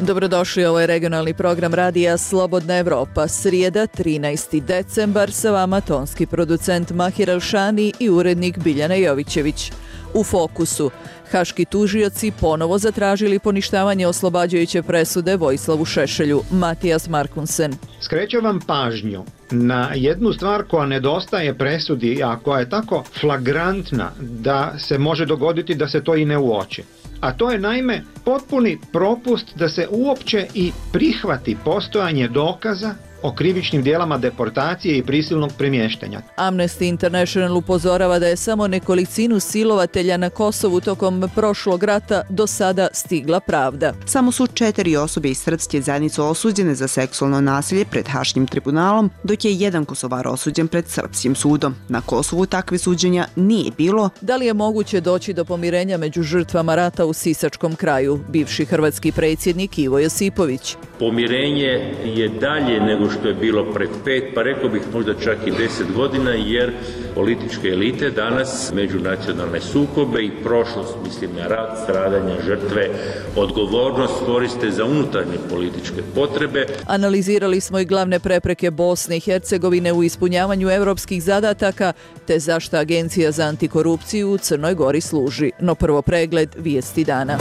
Dobrodošli, ovo je regionalni program radija Slobodna Evropa. Srijeda, 13. decembar, sa vama tonski producent Mahir Alšani i urednik Biljana Jovićević. U fokusu, haški tužioci ponovo zatražili poništavanje oslobađajuće presude Vojislavu Šešelju. Matijas Markunsen. Skrećem vam pažnju na jednu stvar koja nedostaje presudi, a koja je tako flagrantna da se može dogoditi da se to i ne uoči. A to je naime potpuni propust da se uopće i prihvati postojanje dokaza o krivičnim djelama deportacije i prisilnog premještanja. Amnesty International upozorava da je samo nekolicinu silovatelja na Kosovu tokom prošlog rata do sada stigla pravda. Samo su 4 osobe iz srpske zajednice osuđene za seksualno nasilje pred Haškim tribunalom, dok je jedan Kosovar osuđen pred srpskim sudom. Na Kosovu takve suđenja nije bilo. Da li je moguće doći do pomirenja među žrtvama rata u Sisačkom kraju? Bivši hrvatski predsjednik Ivo Josipović. Pomirenje je dalje nego što je bilo pred 5, pa rekao bih možda čak i 10 godina, jer političke elite danas međunacionalne sukobe i prošlost, mislim na rat, stradanja, žrtve, odgovornost koriste za unutarnje političke potrebe. Analizirali smo i glavne prepreke Bosne i Hercegovine u ispunjavanju europskih zadataka, te zašto Agencija za antikorupciju u Crnoj Gori služi. No prvo pregled vijesti dana.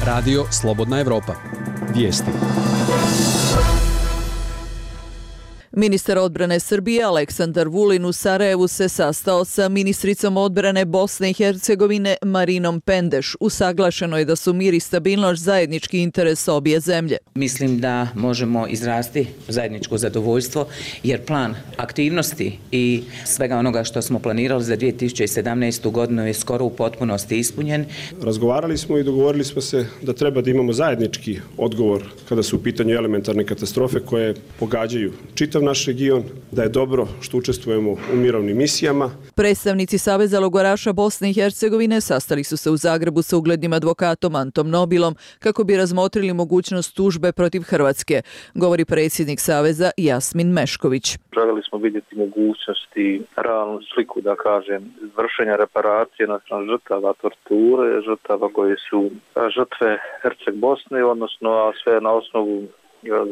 Radio Slobodna Evropa. Vijesti. Ministar odbrane Srbije Aleksandar Vulin u Sarajevu se sastao sa ministricom odbrane Bosne i Hercegovine Marinom Pendeš. Usaglašeno je da su mir i stabilnost zajednički interes obje zemlje. Mislim da možemo izrasti zajedničko zadovoljstvo, jer plan aktivnosti i svega onoga što smo planirali za 2017. godinu je skoro u potpunosti ispunjen. Razgovarali smo i dogovorili smo se da treba da imamo zajednički odgovor kada su u pitanju elementarne katastrofe koje pogađaju čitav naš region, da je dobro što učestvujemo u mirovnim misijama. Predstavnici Saveza logoraša Bosne i Hercegovine sastali su se u Zagrebu sa uglednim advokatom Antom Nobilom kako bi razmotrili mogućnost tužbe protiv Hrvatske, govori predsjednik Saveza Jasmin Mešković. Željeli smo vidjeti mogućnosti, realnu sliku, da kažem, vršenja reparacije naspram žrtava torture, žrtava koje su žrtve Herceg Bosne, odnosno sve na osnovu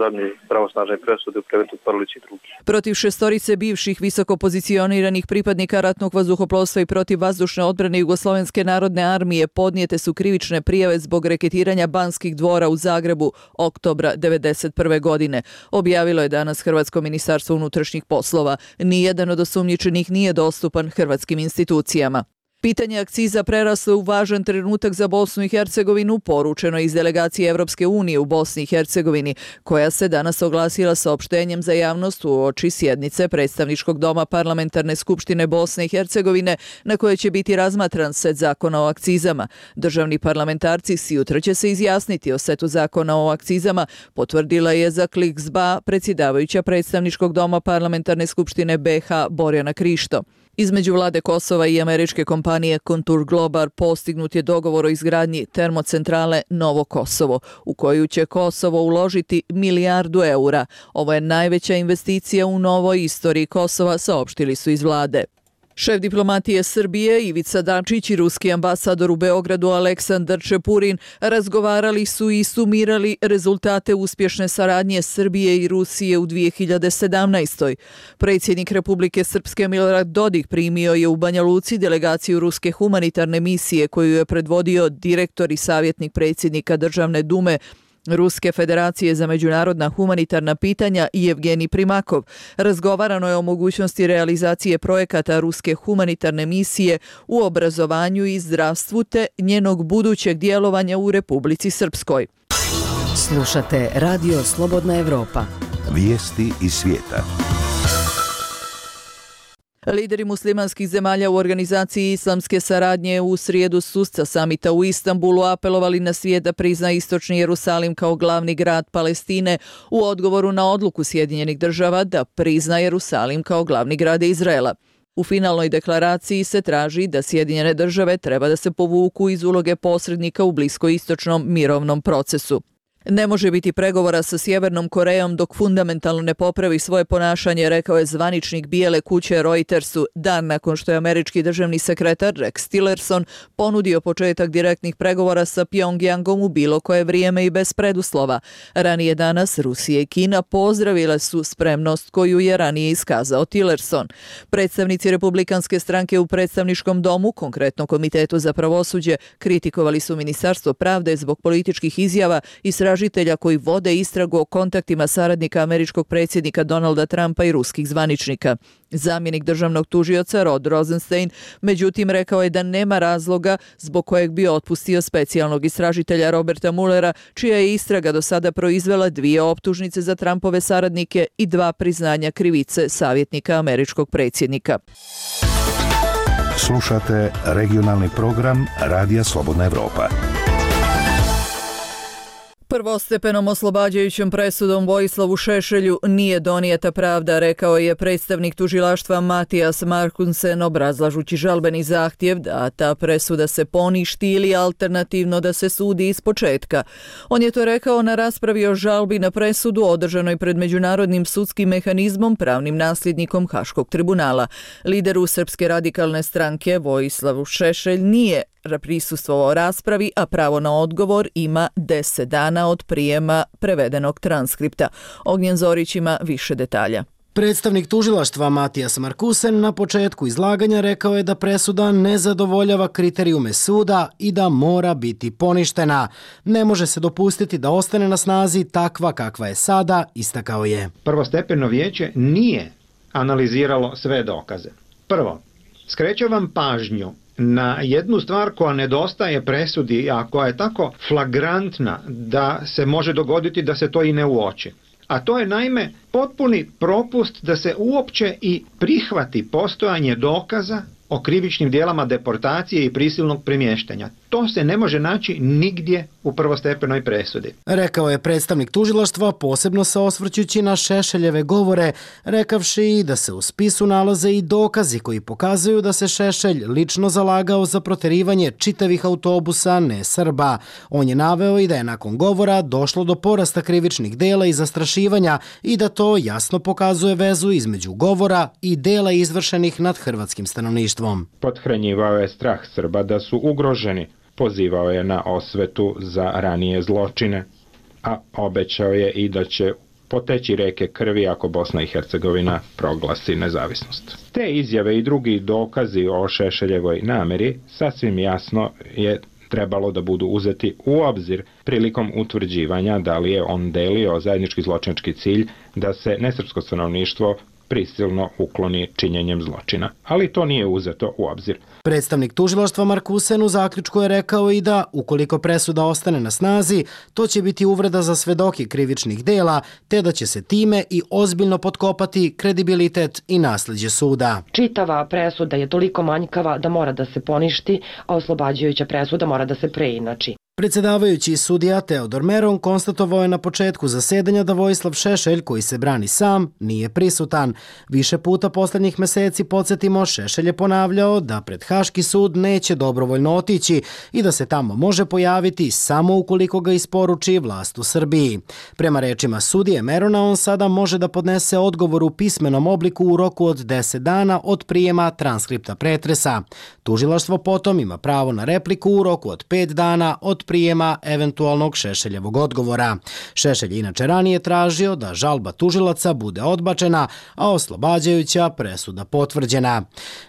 zadnje pravosnažne presude u predmetu Prlić i drugi. Protiv 6 bivših visoko pozicioniranih pripadnika ratnog vazduhoplovstva i protiv vazdušne odbrane Jugoslovenske narodne armije podnijete su krivične prijave zbog reketiranja Banskih dvora u Zagrebu oktobra 1991. godine. Objavilo je danas Hrvatsko ministarstvo unutrašnjih poslova. Nijedan od osumnjičenih nije dostupan hrvatskim institucijama. Pitanje akciza preraslo u važan trenutak za Bosnu i Hercegovinu, poručeno iz delegacije Evropske unije u Bosni i Hercegovini, koja se danas oglasila saopštenjem za javnost uoči sjednice Predstavničkog doma Parlamentarne skupštine Bosne i Hercegovine, na kojoj će biti razmatran set zakona o akcizama. Državni parlamentarci sutra će se izjasniti o setu zakona o akcizama, potvrdila je za Klik ZBA predsjedavajuća Predstavničkog doma Parlamentarne skupštine BiH Borjana Krišto. Između vlade Kosova i američke kompanije Contour Global postignut je dogovor o izgradnji termocentrale Novo Kosovo, u koju će Kosovo uložiti €1 milijardu. Ovo je najveća investicija u novoj istoriji Kosova, saopštili su iz vlade. Šef diplomatije Srbije Ivica Dačić i ruski ambasador u Beogradu Aleksandar Čepurin razgovarali su i sumirali rezultate uspješne saradnje Srbije i Rusije u 2017. Predsjednik Republike Srpske Milorad Dodik primio je u Banja Luci delegaciju ruske humanitarne misije koju je predvodio direktor i savjetnik predsjednika Državne dume Ruske federacije za međunarodna humanitarna pitanja Jevgenij Primakov. Razgovarano je o mogućnosti realizacije projekata Ruske humanitarne misije u obrazovanju i zdravstvu te njenog budućeg djelovanja u Republici Srpskoj. Slušate Radio Slobodna Evropa. Vijesti iz svijeta. Lideri muslimanskih zemalja u organizaciji islamske saradnje u srijedu susca samita u Istanbulu apelovali na svijet da prizna istočni Jerusalim kao glavni grad Palestine u odgovoru na odluku Sjedinjenih država da prizna Jerusalim kao glavni grad Izraela. U finalnoj deklaraciji se traži da Sjedinjene države treba da se povuku iz uloge posrednika u bliskoistočnom mirovnom procesu. Ne može biti pregovora sa Sjevernom Korejom dok fundamentalno ne popravi svoje ponašanje, rekao je zvaničnik Bijele kuće Reutersu dan nakon što je američki državni sekretar Rex Tillerson ponudio početak direktnih pregovora sa Pjongjangom u bilo koje vrijeme i bez preduslova. Ranije danas Rusija i Kina pozdravile su spremnost koju je ranije iskazao Tillerson. Predstavnici Republikanske stranke u predstavničkom domu, konkretno Komitetu za pravosuđe, kritikovali su Ministarstvo pravde zbog političkih izjava istražitelja koji vode istragu o kontaktima saradnika američkog predsjednika Donalda Trumpa i ruskih zvaničnika. Zamjenik državnog tužioca Rod Rosenstein međutim rekao je da nema razloga zbog kojeg bi otpustio specijalnog istražitelja Roberta Muellera, čija je istraga do sada proizvela 2 optužnice za Trumpove saradnike i 2 priznanja krivice savjetnika američkog predsjednika. Slušate regionalni program Radija Slobodna Evropa. Prvostepenom oslobađajućom presudom Vojislavu Šešelju nije donijeta pravda, rekao je predstavnik tužilaštva Matijas Markusen obrazlažući žalbeni zahtjev da ta presuda se poništi ili alternativno da se sudi ispočetka. On je to rekao na raspravi o žalbi na presudu održanoj pred Međunarodnim sudskim mehanizmom, pravnim nasljednikom Haškog tribunala. Lideru Srpske radikalne stranke Vojislavu Šešelj nije prisustvovao raspravi, a pravo na odgovor ima 10 dana od prijema prevedenog transkripta. Ognjen Zorić ima više detalja. Predstavnik tužilaštva Matijas Markusen na početku izlaganja rekao je da presuda ne zadovoljava kriterijume suda i da mora biti poništena. Ne može se dopustiti da ostane na snazi takva kakva je sada, istakao je. Prvostepeno vijeće nije analiziralo sve dokaze. Prvo, skrećem vam pažnju na jednu stvar koja nedostaje presudi, a koja je tako flagrantna da se može dogoditi da se to i ne uoči. A to je naime potpuni propust da se uopće i prihvati postojanje dokaza o krivičnim djelama deportacije i prisilnog premještanja. To se ne može naći nigdje u prvostepenoj presudi. Rekao je predstavnik tužilaštva, posebno se osvrćući na Šešeljeve govore, rekavši da se u spisu nalaze i dokazi koji pokazuju da se Šešelj lično zalagao za proterivanje čitavih autobusa ne Srba. On je naveo i da je nakon govora došlo do porasta krivičnih dela i zastrašivanja i da to jasno pokazuje vezu između govora i dela izvršenih nad hrvatskim stanovništvom. Pothranjivao je strah Srba da su ugroženi. Pozivao je na osvetu za ranije zločine, a obećao je i da će poteći reke krvi ako Bosna i Hercegovina proglasi nezavisnost. Te izjave i drugi dokazi o Šešeljevoj nameri sasvim jasno je trebalo da budu uzeti u obzir prilikom utvrđivanja da li je on delio zajednički zločinački cilj da se nesrpsko stanovništvo prisilno ukloni činjenjem zločina. Ali to nije uzeto u obzir. Predstavnik tužilaštva Markusen u zaključku je rekao i da, ukoliko presuda ostane na snazi, to će biti uvreda za svedoke krivičnih dela, te da će se time i ozbiljno potkopati kredibilitet i nasljeđe suda. Čitava presuda je toliko manjkava da mora da se poništi, a oslobađajuća presuda mora da se preinači. Predsjedavajući sudija Teodor Meron konstatovao je na početku zasedanja da Vojislav Šešelj, koji se brani sam, nije prisutan. Više puta posljednjih mjeseci, podsjetimo, Šešelj je ponavljao da pred Haški sud neće dobrovoljno otići i da se tamo može pojaviti samo ukoliko ga isporuči vlast u Srbiji. Prema rečima sudije Merona, on sada može da podnese odgovor u pismenom obliku u roku od 10 dana od prijema transkripta pretresa. Tužilaštvo potom ima pravo na repliku u roku od 5 dana od prijema eventualnog Šešeljevog odgovora. Šešelj inače ranije tražio da žalba tužilaca bude odbačena, a oslobađajuća presuda potvrđena.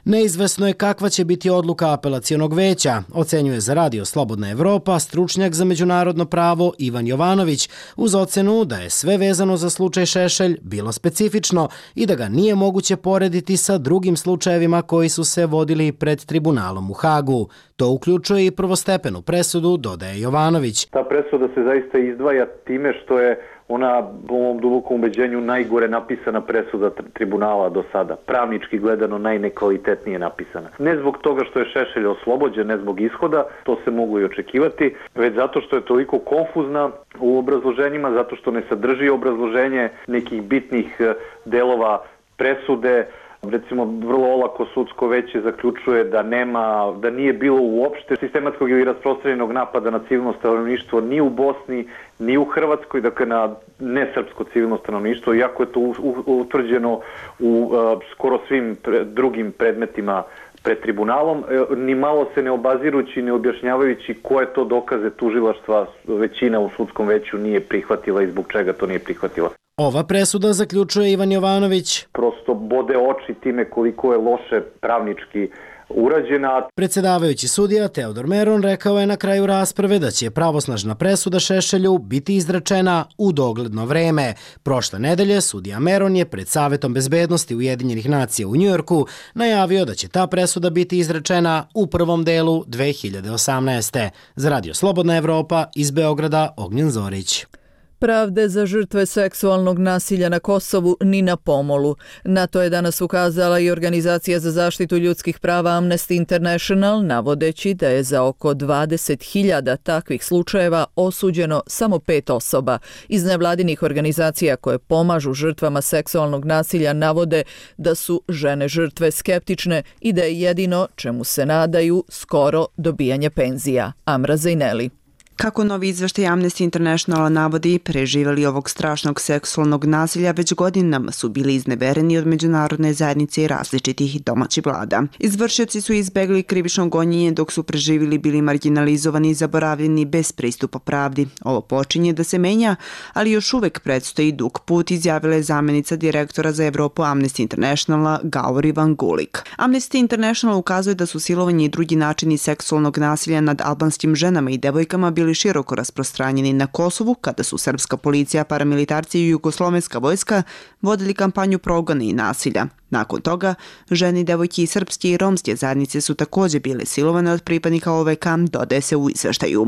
Neizvesno je kakva će biti odluka apelacionog veća, ocenjuje za Radio Slobodna Evropa stručnjak za međunarodno pravo Ivan Jovanović, uz ocenu da je sve vezano za slučaj Šešelj bilo specifično i da ga nije moguće porediti sa drugim slučajevima koji su se vodili pred tribunalom u Hagu. To uključuje i prvostepenu presudu, dodaje Jovanović. Ta presuda se zaista izdvaja time što je ona, po mom dubokom ubeđenju, najgore napisana presuda tribunala do sada. Pravnički gledano najnekvalitetnije napisana. Ne zbog toga što je Šešelj oslobođen, ne zbog ishoda, to se mogu i očekivati, već zato što je toliko konfuzna u obrazloženjima, zato što ne sadrži obrazloženje nekih bitnih delova presude, Recimo, vrlo olako sudsko veće zaključuje da nije bilo uopšte sistematskog ili rasprostranjenog napada na civilno stanovništvo ni u Bosni, ni u Hrvatskoj, dakle na nesrpsko civilno stanovništvo, iako je to utvrđeno u skoro svim drugim predmetima pred tribunalom, ni malo se ne obazirući, ne objašnjavajući koje to dokaze tužilaštva većina u sudskom veću nije prihvatila i zbog čega to nije prihvatila. Ova presuda, zaključuje Ivan Jovanović, prosto bode oči time koliko je loše pravnički urađena. Predsedavajući sudija Teodor Meron rekao je na kraju rasprave da će pravosnažna presuda Šešelju biti izrečena u dogledno vreme. Prošle nedelje sudija Meron je pred Savetom bezbednosti Ujedinjenih nacija u Njujorku najavio da će ta presuda biti izrečena u prvom delu 2018. Za Radio Slobodna Evropa iz Beograda, Ognjen Zorić. Pravde za žrtve seksualnog nasilja na Kosovu ni na pomolu. Na to je danas ukazala i Organizacija za zaštitu ljudskih prava Amnesty International, navodeći da je za oko 20.000 takvih slučajeva osuđeno samo 5 osoba. Iz nevladinih organizacija koje pomažu žrtvama seksualnog nasilja navode da su žene žrtve skeptične i da je jedino čemu se nadaju skoro dobijanje penzija. Amra Zajneli. Kako novi izveštaj Amnesty Internationala navodi, preživjeli ovog strašnog seksualnog nasilja već godinama su bili iznevereni od međunarodne zajednice i različitih domaćih vlada. Izvršioci su izbegli krivično gonjenje dok su preživjeli bili marginalizovani i zaboravljeni bez pristupa pravdi. Ovo počinje da se menja, ali još uvek predstoji dug put, izjavila je zamjenica direktora za Evropu Amnesty Internationala Gauri Van Gulik. Amnesty International ukazuje da su silovanje i drugi načini seksualnog nasilja nad albanskim ženama i devojkama bili široko rasprostranjeni na Kosovu kada su srpska policija, paramilitarci i jugoslovenska vojska vodili kampanju progona i nasilja. Nakon toga, žene, devojke i srpske i romske zajednice su također bile silovane od pripadnika OVK, dodaje se u izveštaju.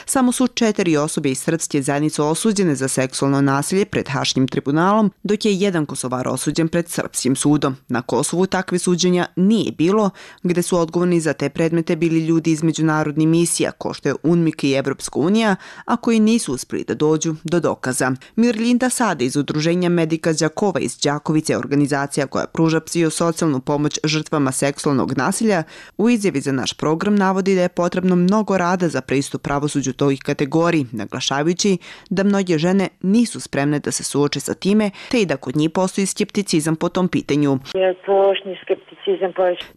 Samo su 4 osobe iz srpske zajednice osuđene za seksualno nasilje pred Haškim tribunalom, dok je 1 Kosovar osuđen pred srpskim sudom. Na Kosovu takve suđenja nije bilo, gde su odgovorni za te predmete bili ljudi iz međunarodnih misija, ko što je UNMIK i Evropska unija, a koji nisu uspjeli da dođu do dokaza. Mirlinda Sada iz udruženja Medika Đakova iz Đakovice, organizacija koja pruža psihosocijalnu pomoć žrtvama seksualnog nasilja, u izjavi za naš program navodi da je potrebno mnogo rada za pristup pravosuđu tih kategoriji, naglašavajući da mnoge žene nisu spremne da se suoče sa time, te i da kod njih postoji skepticizam po tom pitanju.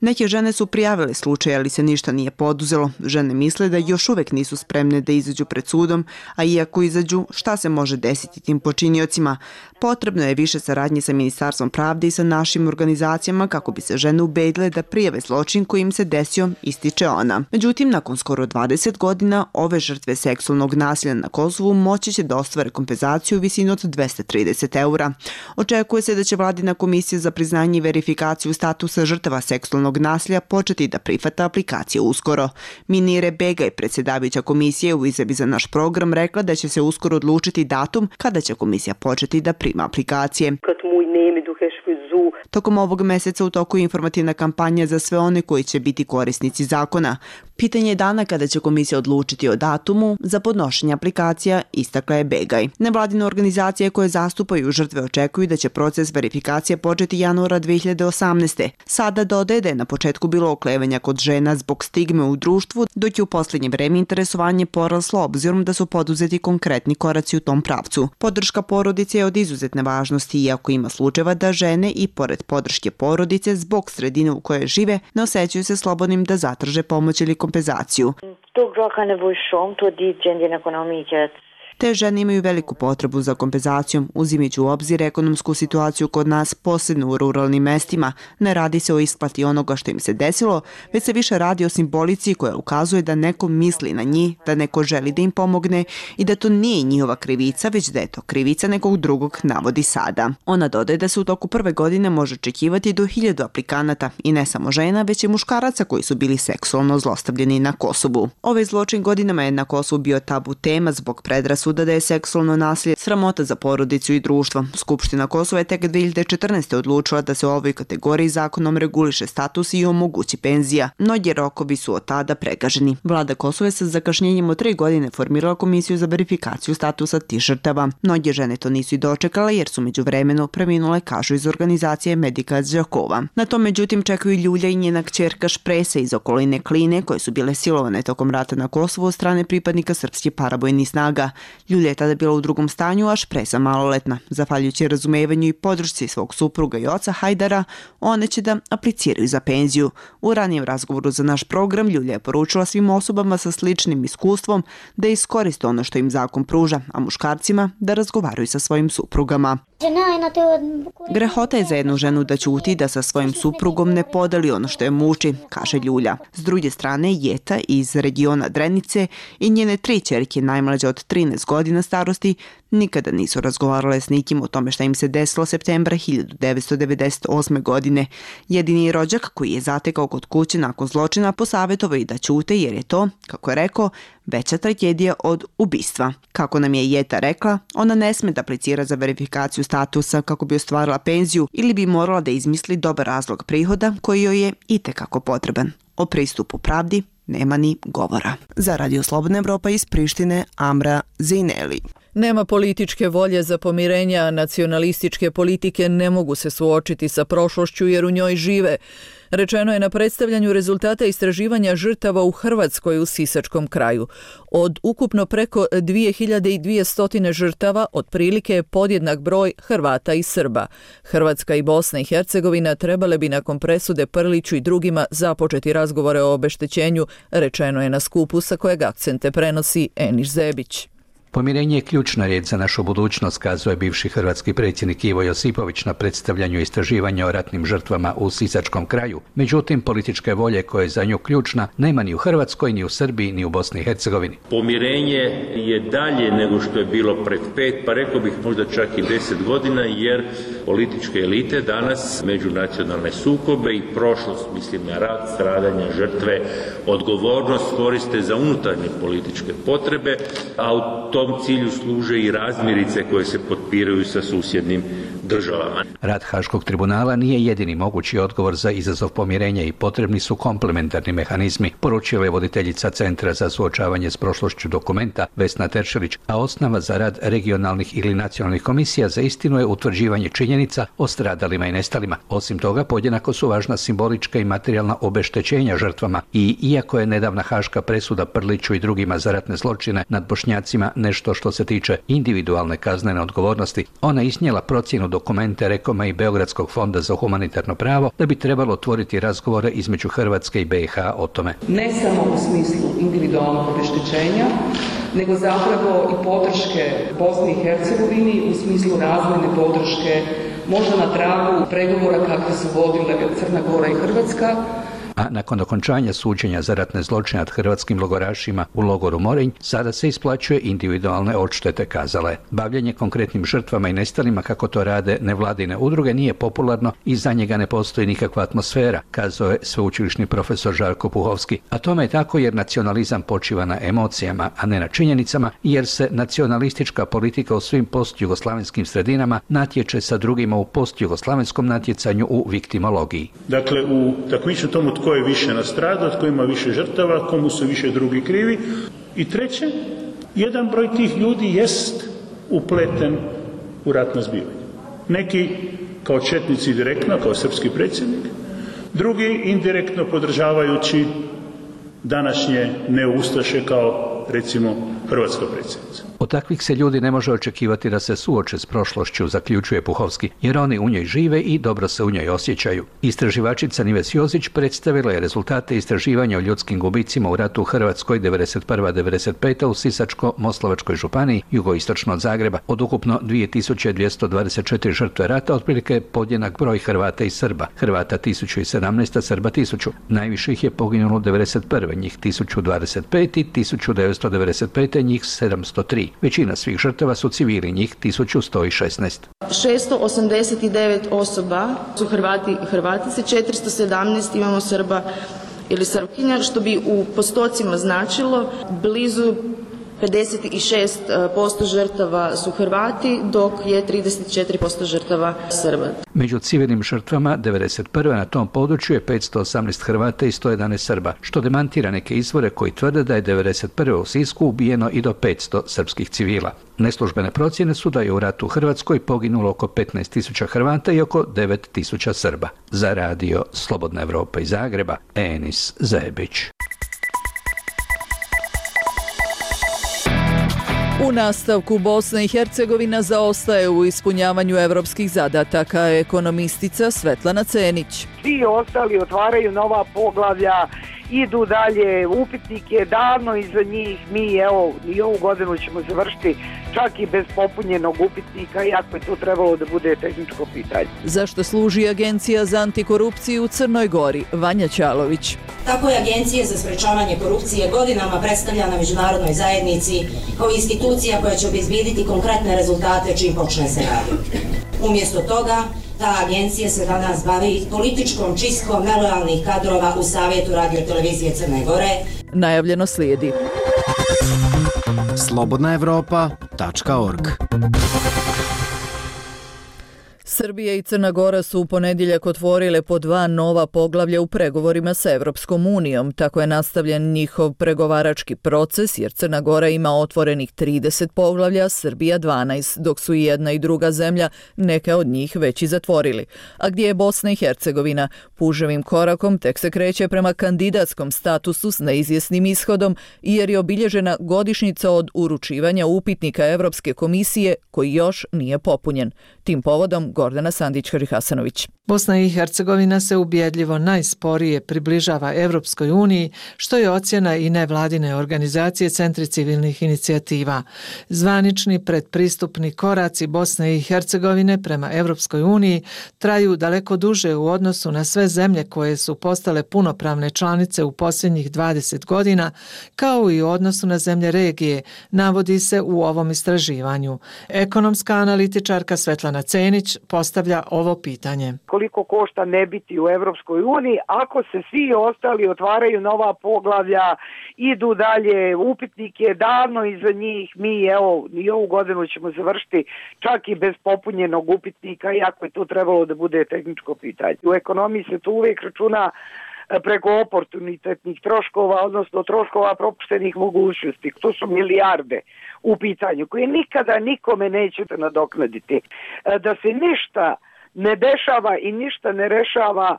Neke žene su prijavile slučaj, ali se ništa nije poduzelo. Žene misle da još uvek nisu spremne da izađu pred sudom, a iako izađu, šta se može desiti tim počiniocima? Potrebno je više saradnje sa Ministarstvom pravde i sa našim organizacijama kako bi se žene ubedile da prijave zločin koji im se desio, ističe ona. Međutim, nakon skoro 20 godina, ove žrtve seksualnog nasilja na Kosovu moći će da ostvare kompenzaciju u visini od 230 eura. Očekuje se da će Vladina komisija za priznanje i verifikaciju statusa žrtava seksualnog nasilja početi da prihvata aplikacije uskoro. Minire Begaj, predsjedavajuća komisije, u izjavi za naš program rekla da će se uskoro odlučiti datum kada će komisija početi da prima aplikacije. Tokom ovog meseca u toku je informativna kampanja za sve one koji će biti korisnici zakona. Pitanje je dana kada će komisija odlučiti o datumu za podnošenje aplikacija, istakla je Begaj. Nevladine organizacije koje zastupaju žrtve očekuju da će proces verifikacije početi januara 2018. Sada dodaje da je na početku bilo oklevanja kod žena zbog stigme u društvu, dok je u posljednje vreme interesovanje poraslo obzirom da su poduzeti konkretni koraci u tom pravcu. Podrška porodice je od izuzetne važnosti, iako ima slučajeva da žene i pored podrške porodice zbog sredine u kojoj žive ne osjećaju se slobodnim da zatraže pomoć ili kompenzaciju. Te žene imaju veliku potrebu za kompenzacijom, uzimajući u obzir ekonomsku situaciju kod nas, posebno u ruralnim mestima. Ne radi se o isplati onoga što im se desilo, već se više radi o simbolici koja ukazuje da neko misli na njih, da neko želi da im pomogne i da to nije njihova krivica, već da je to krivica nekog drugog, navodi Sada. Ona dodaje da se u toku prve godine može očekivati do 1000 aplikanata i ne samo žena, već i muškaraca koji su bili seksualno zlostavljeni na Kosovu. Ovaj zločin godinama je na Kosovu bio tabu tema zbog predrasuda presuda da je seksualno nasilje sramota za porodicu i društvo. Skupština Kosova je tek 2014. odlučila da se u ovoj kategoriji zakonom reguliše status i omogući penzija. Mnogi rokovi su od tada pregaženi. Vlada Kosova je sa zakašnjenjem od 3 godine formirala komisiju za verifikaciju statusa tih žrtava. Mnoge žene to nisu i dočekale jer su međuvremeno preminule, kažu iz organizacije Medika Đakova. Na to međutim čekaju Ljulja i njena kćerka Špresa iz okoline Kline koje su bile silovane tokom rata na Kosovu od strane pripadnika srpskih paravojnih snaga. Ljulja je tada bila u drugom stanju, a Špresa maloletna. Zahvaljujući razumevanju i podršci svog supruga i oca Hajdara, one će da apliciraju za penziju. U ranijem razgovoru za naš program Ljulja je poručila svim osobama sa sličnim iskustvom da iskoriste ono što im zakon pruža, a muškarcima da razgovaraju sa svojim suprugama. Grehota je za jednu ženu da ćuti da sa svojim suprugom ne podeli ono što je muči, kaže Ljulja. S druge strane, Jeta iz regiona Drenice i njene 3 ćerke najmlađe od 13 godina starosti nikada nisu razgovarale s nikim o tome šta im se desilo septembra 1998. godine. Jedini rođak koji je zatekao kod kuće nakon zločina posavjetovao i da ćute jer je to, kako je rekao, veća tragedija od ubistva. Kako nam je Jeta rekla, ona ne sme da aplicira za verifikaciju statusa kako bi ostvarila penziju ili bi morala da izmisli dobar razlog prihoda koji joj je itekako potreban. O pristupu pravdi nema ni govora. Za Radio Slobodna Evropa iz Prištine, Amra Zejneli. Nema političke volje za pomirenje, a nacionalističke politike ne mogu se suočiti sa prošlošću jer u njoj žive. Rečeno je na predstavljanju rezultata istraživanja žrtava u Hrvatskoj u Sisačkom kraju. Od ukupno preko 2200 žrtava, otprilike je podjednak broj Hrvata i Srba. Hrvatska i Bosna i Hercegovina trebale bi nakon presude Prliću i drugima započeti razgovore o obeštećenju, rečeno je na skupu sa kojeg akcente prenosi Eniš Zebić. Pomirenje je ključna riječ za našu budućnost, kazuje bivši hrvatski predsjednik Ivo Josipović na predstavljanju istraživanja o ratnim žrtvama u Sisačkom kraju. Međutim, političke volje koja je za nju ključna nema ni u Hrvatskoj, ni u Srbiji, ni u Bosni i Hercegovini. Pomirenje je dalje nego što je bilo pred 5, pa rekao bih možda čak i 10 godina, jer političke elite danas međunacionalne sukobe i prošlost, mislim na rat, stradanja, žrtve, odgovornost koriste za unutarnje političke potrebe, a u tom cilju služe i razmirice koje se potpiraju sa susjednim državama. Rad Haškog tribunala nije jedini mogući odgovor za izazov pomirenja i potrebni su komplementarni mehanizmi, poručila je voditeljica Centra za suočavanje s prošlošću Dokumenta Vesna Teršelić, a osnova za rad regionalnih ili nacionalnih komisija za istinu je utvrđivanje činjenica o stradalima i nestalima. Osim toga, podjednako su važna simbolička i materijalna obeštećenja žrtvama i iako je nedavna haška presuda Prliću i drugima za ratne zločine nad Bošnjacima nešto što se tiče individualne kaznene odgovornosti, ona iznijela procjenu Dokumente Rekoma i Beogradskog fonda za humanitarno pravo da bi trebalo otvoriti razgovore između Hrvatske i BiH o tome. Ne samo u smislu individualnog obeštećenja, nego zapravo i podrške Bosni i Hercegovini u smislu razvojne podrške, možda na tragu pregovora kakve su vodile Crna Gora i Hrvatska. A nakon okončanja suđenja za ratne zločine nad hrvatskim logorašima u logoru Morinj, sada se isplaćuje individualne odštete, kazala je. Bavljenje konkretnim žrtvama i nestalima, kako to rade nevladine udruge, nije popularno i za njega ne postoji nikakva atmosfera, kazao je sveučilišni profesor Žarko Puhovski. A tome je tako jer nacionalizam počiva na emocijama, a ne na činjenicama, jer se nacionalistička politika u svim postjugoslavenskim sredinama natječe sa drugima u postjugoslavenskom natjecanju u viktimologiji. Dakle, u takmičenju tomu tko je više nastradao, tko ima više žrtava, komu su više drugi krivi. I treće, jedan broj tih ljudi jest upleten u ratna zbivanja. Neki kao četnici direktno, kao srpski predsjednik, drugi indirektno podržavajući današnje neustaše kao recimo hrvatska predsjednica. Od takvih se ljudi ne može očekivati da se suoče s prošlošću, zaključuje Puhovski, jer oni u njoj žive i dobro se u njoj osjećaju. Istraživačica Nives Jozić predstavila je rezultate istraživanja o ljudskim gubicima u ratu u Hrvatskoj 91-95 u Sisačko-Moslavačkoj županiji, jugoistočno od Zagreba. Od ukupno 2224 žrtve rata, otprilike podjednak broj Hrvata i Srba. Hrvata 1017, Srba 1000. Najviše ih je poginulo 91. njih 1025 i 1995. njih 703. Većina svih žrtava su civili, njih 1116. 689 osoba su Hrvati i Hrvatice, 417 imamo Srba ili Srpkinja, što bi u postocima značilo blizu 56% žrtava su Hrvati, dok je 34% žrtava Srba. Među civilnim žrtvama 1991. na tom području je 518 Hrvata i 111 Srba, što demantira neke izvore koji tvrde da je 1991. u Sisku ubijeno i do 500 srpskih civila. Neslužbene procjene su da je u ratu u Hrvatskoj poginulo oko 15.000 Hrvata i oko 9.000 Srba. Za radio Slobodna Evropa iz Zagreba, Enis Zebić. U nastavku Bosna i Hercegovina zaostaje u ispunjavanju evropskih zadataka, ekonomistica Svetlana Cenić. Svi ostali otvaraju nova poglavlja, idu dalje, upitnik je davno iza njih, mi evo i ovu godinu ćemo završiti čak i bez popunjenog upitnika, iako je to trebalo da bude tehničko pitanje. Zašto služi Agencija za antikorupciju u Crnoj Gori? Vanja Ćalović. Tako je Agencija za sprečavanje korupcije godinama predstavljana međunarodnoj zajednici kao institucija koja će obezbijediti konkretne rezultate čim počne se raditi. Umjesto toga, ta agencija se danas bavi političkom čistkom nelojalnih kadrova u Savjetu radiotelevizije Crne Gore. Najavljeno slijedi. slobodnaevropa.org. Srbija i Crna Gora su u ponedjeljak otvorile po 2 nova poglavlja u pregovorima sa Evropskom unijom. Tako je nastavljen njihov pregovarački proces, jer Crna Gora ima otvorenih 30 poglavlja, Srbija 12, dok su i jedna i druga zemlja neke od njih već i zatvorili. A gdje je Bosna i Hercegovina? Puževim korakom tek se kreće prema kandidatskom statusu s neizvjesnim ishodom, jer je obilježena godišnjica od uručivanja upitnika Evropske komisije koji još nije popunjen. Tim povodom Gordana Sandić-Harihasanović. Bosna i Hercegovina se ubjedljivo najsporije približava Evropskoj uniji, što je ocjena i nevladine organizacije Centri civilnih inicijativa. Zvanični predpristupni koraci Bosne i Hercegovine prema Evropskoj uniji traju daleko duže u odnosu na sve zemlje koje su postale punopravne članice u posljednjih 20 godina, kao i u odnosu na zemlje regije, navodi se u ovom istraživanju. Ekonomska analitičarka Svetlana Cenić postavlja ovo pitanje. Koliko košta ne biti u Evropskoj uniji ako se svi ostali otvaraju nova poglavlja, idu dalje, upitnik je davno iza njih, mi evo i ovu godinu ćemo završiti čak i bez popunjenog upitnika, iako je to trebalo da bude tehničko pitanje. U ekonomiji se to uvijek računa preko oportunitetnih troškova, odnosno troškova propuštenih mogućnosti. To su milijarde u pitanju koje nikada nikome nećete nadoknaditi. Da se ništa ne dešava i ništa ne rešava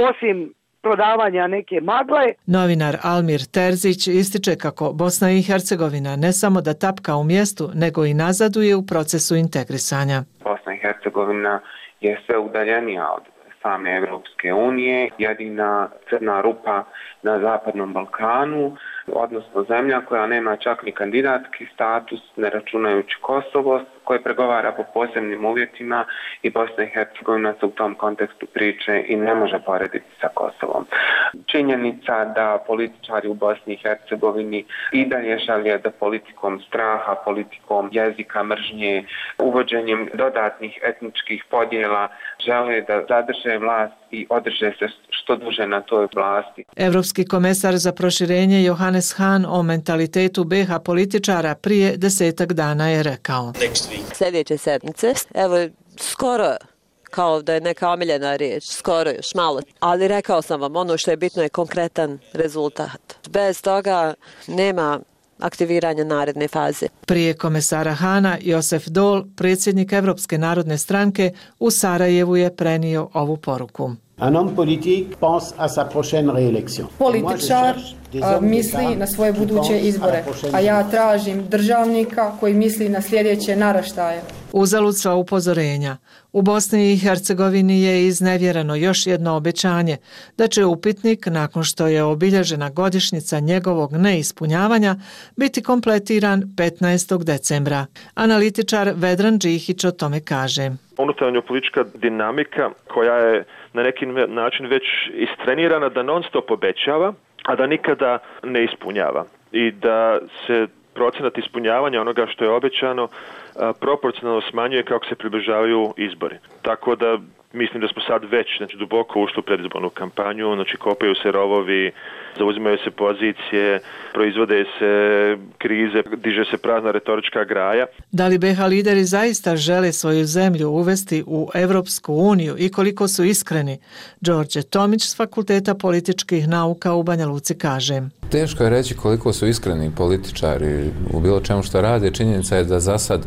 osim prodavanja neke magle. Novinar Almir Terzić ističe kako Bosna i Hercegovina ne samo da tapka u mjestu, nego i nazaduje u procesu integrisanja. Bosna i Hercegovina je sve udaljenija od same Evropske unije, jedina crna rupa na Zapadnom Balkanu, odnosno zemlja koja nema čak ni kandidatski status, ne računajući Kosovo, koje pregovara po posebnim uvjetima, i Bosna i Hercegovina se u tom kontekstu priče i ne može porediti sa Kosovom. Činjenica da političari u Bosni i Hercegovini i dalje žele da politikom straha, politikom jezika mržnje, uvođenjem dodatnih etničkih podjela žele da zadrže vlast i održe se što duže na toj vlasti. Evropski komesar za proširenje Johannes Hahn o mentalitetu BiH političara prije 10 dana je rekao: Sljedeće sedmice, evo skoro kao da je neka omiljena riječ, skoro još malo, ali rekao sam vam, ono što je bitno je konkretan rezultat. Bez toga nema aktiviranja naredne faze. Prije komesara Hana, Josef Dol, predsjednik Evropske narodne stranke, u Sarajevu je prenio ovu poruku. Političar misli na svoje buduće izbore, a ja tražim državnika koji misli na sljedeće naraštaje. Uzalud sva upozorenja. U Bosni i Hercegovini je iznevjereno još jedno obećanje da će upitnik, nakon što je obilježena godišnjica njegovog neispunjavanja, biti kompletiran 15. decembra. Analitičar Vedran Džihić o tome kaže: Unutarnja politička dinamika koja je na neki način već istrenirana da non stop obećava, a da nikada ne ispunjava. I da se procenat ispunjavanja onoga što je obećano proporcionalno smanjuje kako se približavaju izbori. Tako da Mislim da smo sad već duboko ušli u predizbornu kampanju, kopaju se rovovi, zauzimaju se pozicije, proizvode se krize, diže se prazna retorička graja. Da li BiH lideri zaista žele svoju zemlju uvesti u Evropsku uniju i koliko su iskreni? Đorđe Tomić s Fakulteta političkih nauka u Banja Luci kaže. Teško je reći koliko su iskreni političari u bilo čemu što rade. Činjenica je da za sad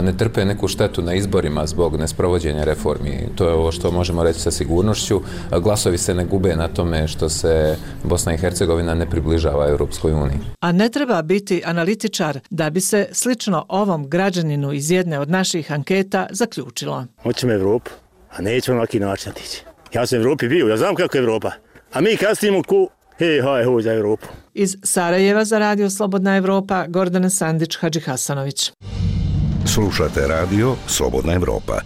ne trpe neku štetu na izborima zbog nesprovođenja reformi. To je ovo što možemo reći sa sigurnošću. Glasovi se ne gube na tome što se Bosna i Hercegovina ne približava Europskoj uniji. A ne treba biti analitičar da bi se slično ovom građaninu iz jedne od naših anketa zaključilo. Hoćemo Evropu, a nećemo na ovaki način otići. Ja sam u Evropi bio, ja znam kako je Evropa. A mi kasnimo ku hej, za Evropu. Iz Sarajeva za Radio Slobodna Evropa, Gordana Sandić, Hadži Hasanović. Slušate radio Slobodna Evropa.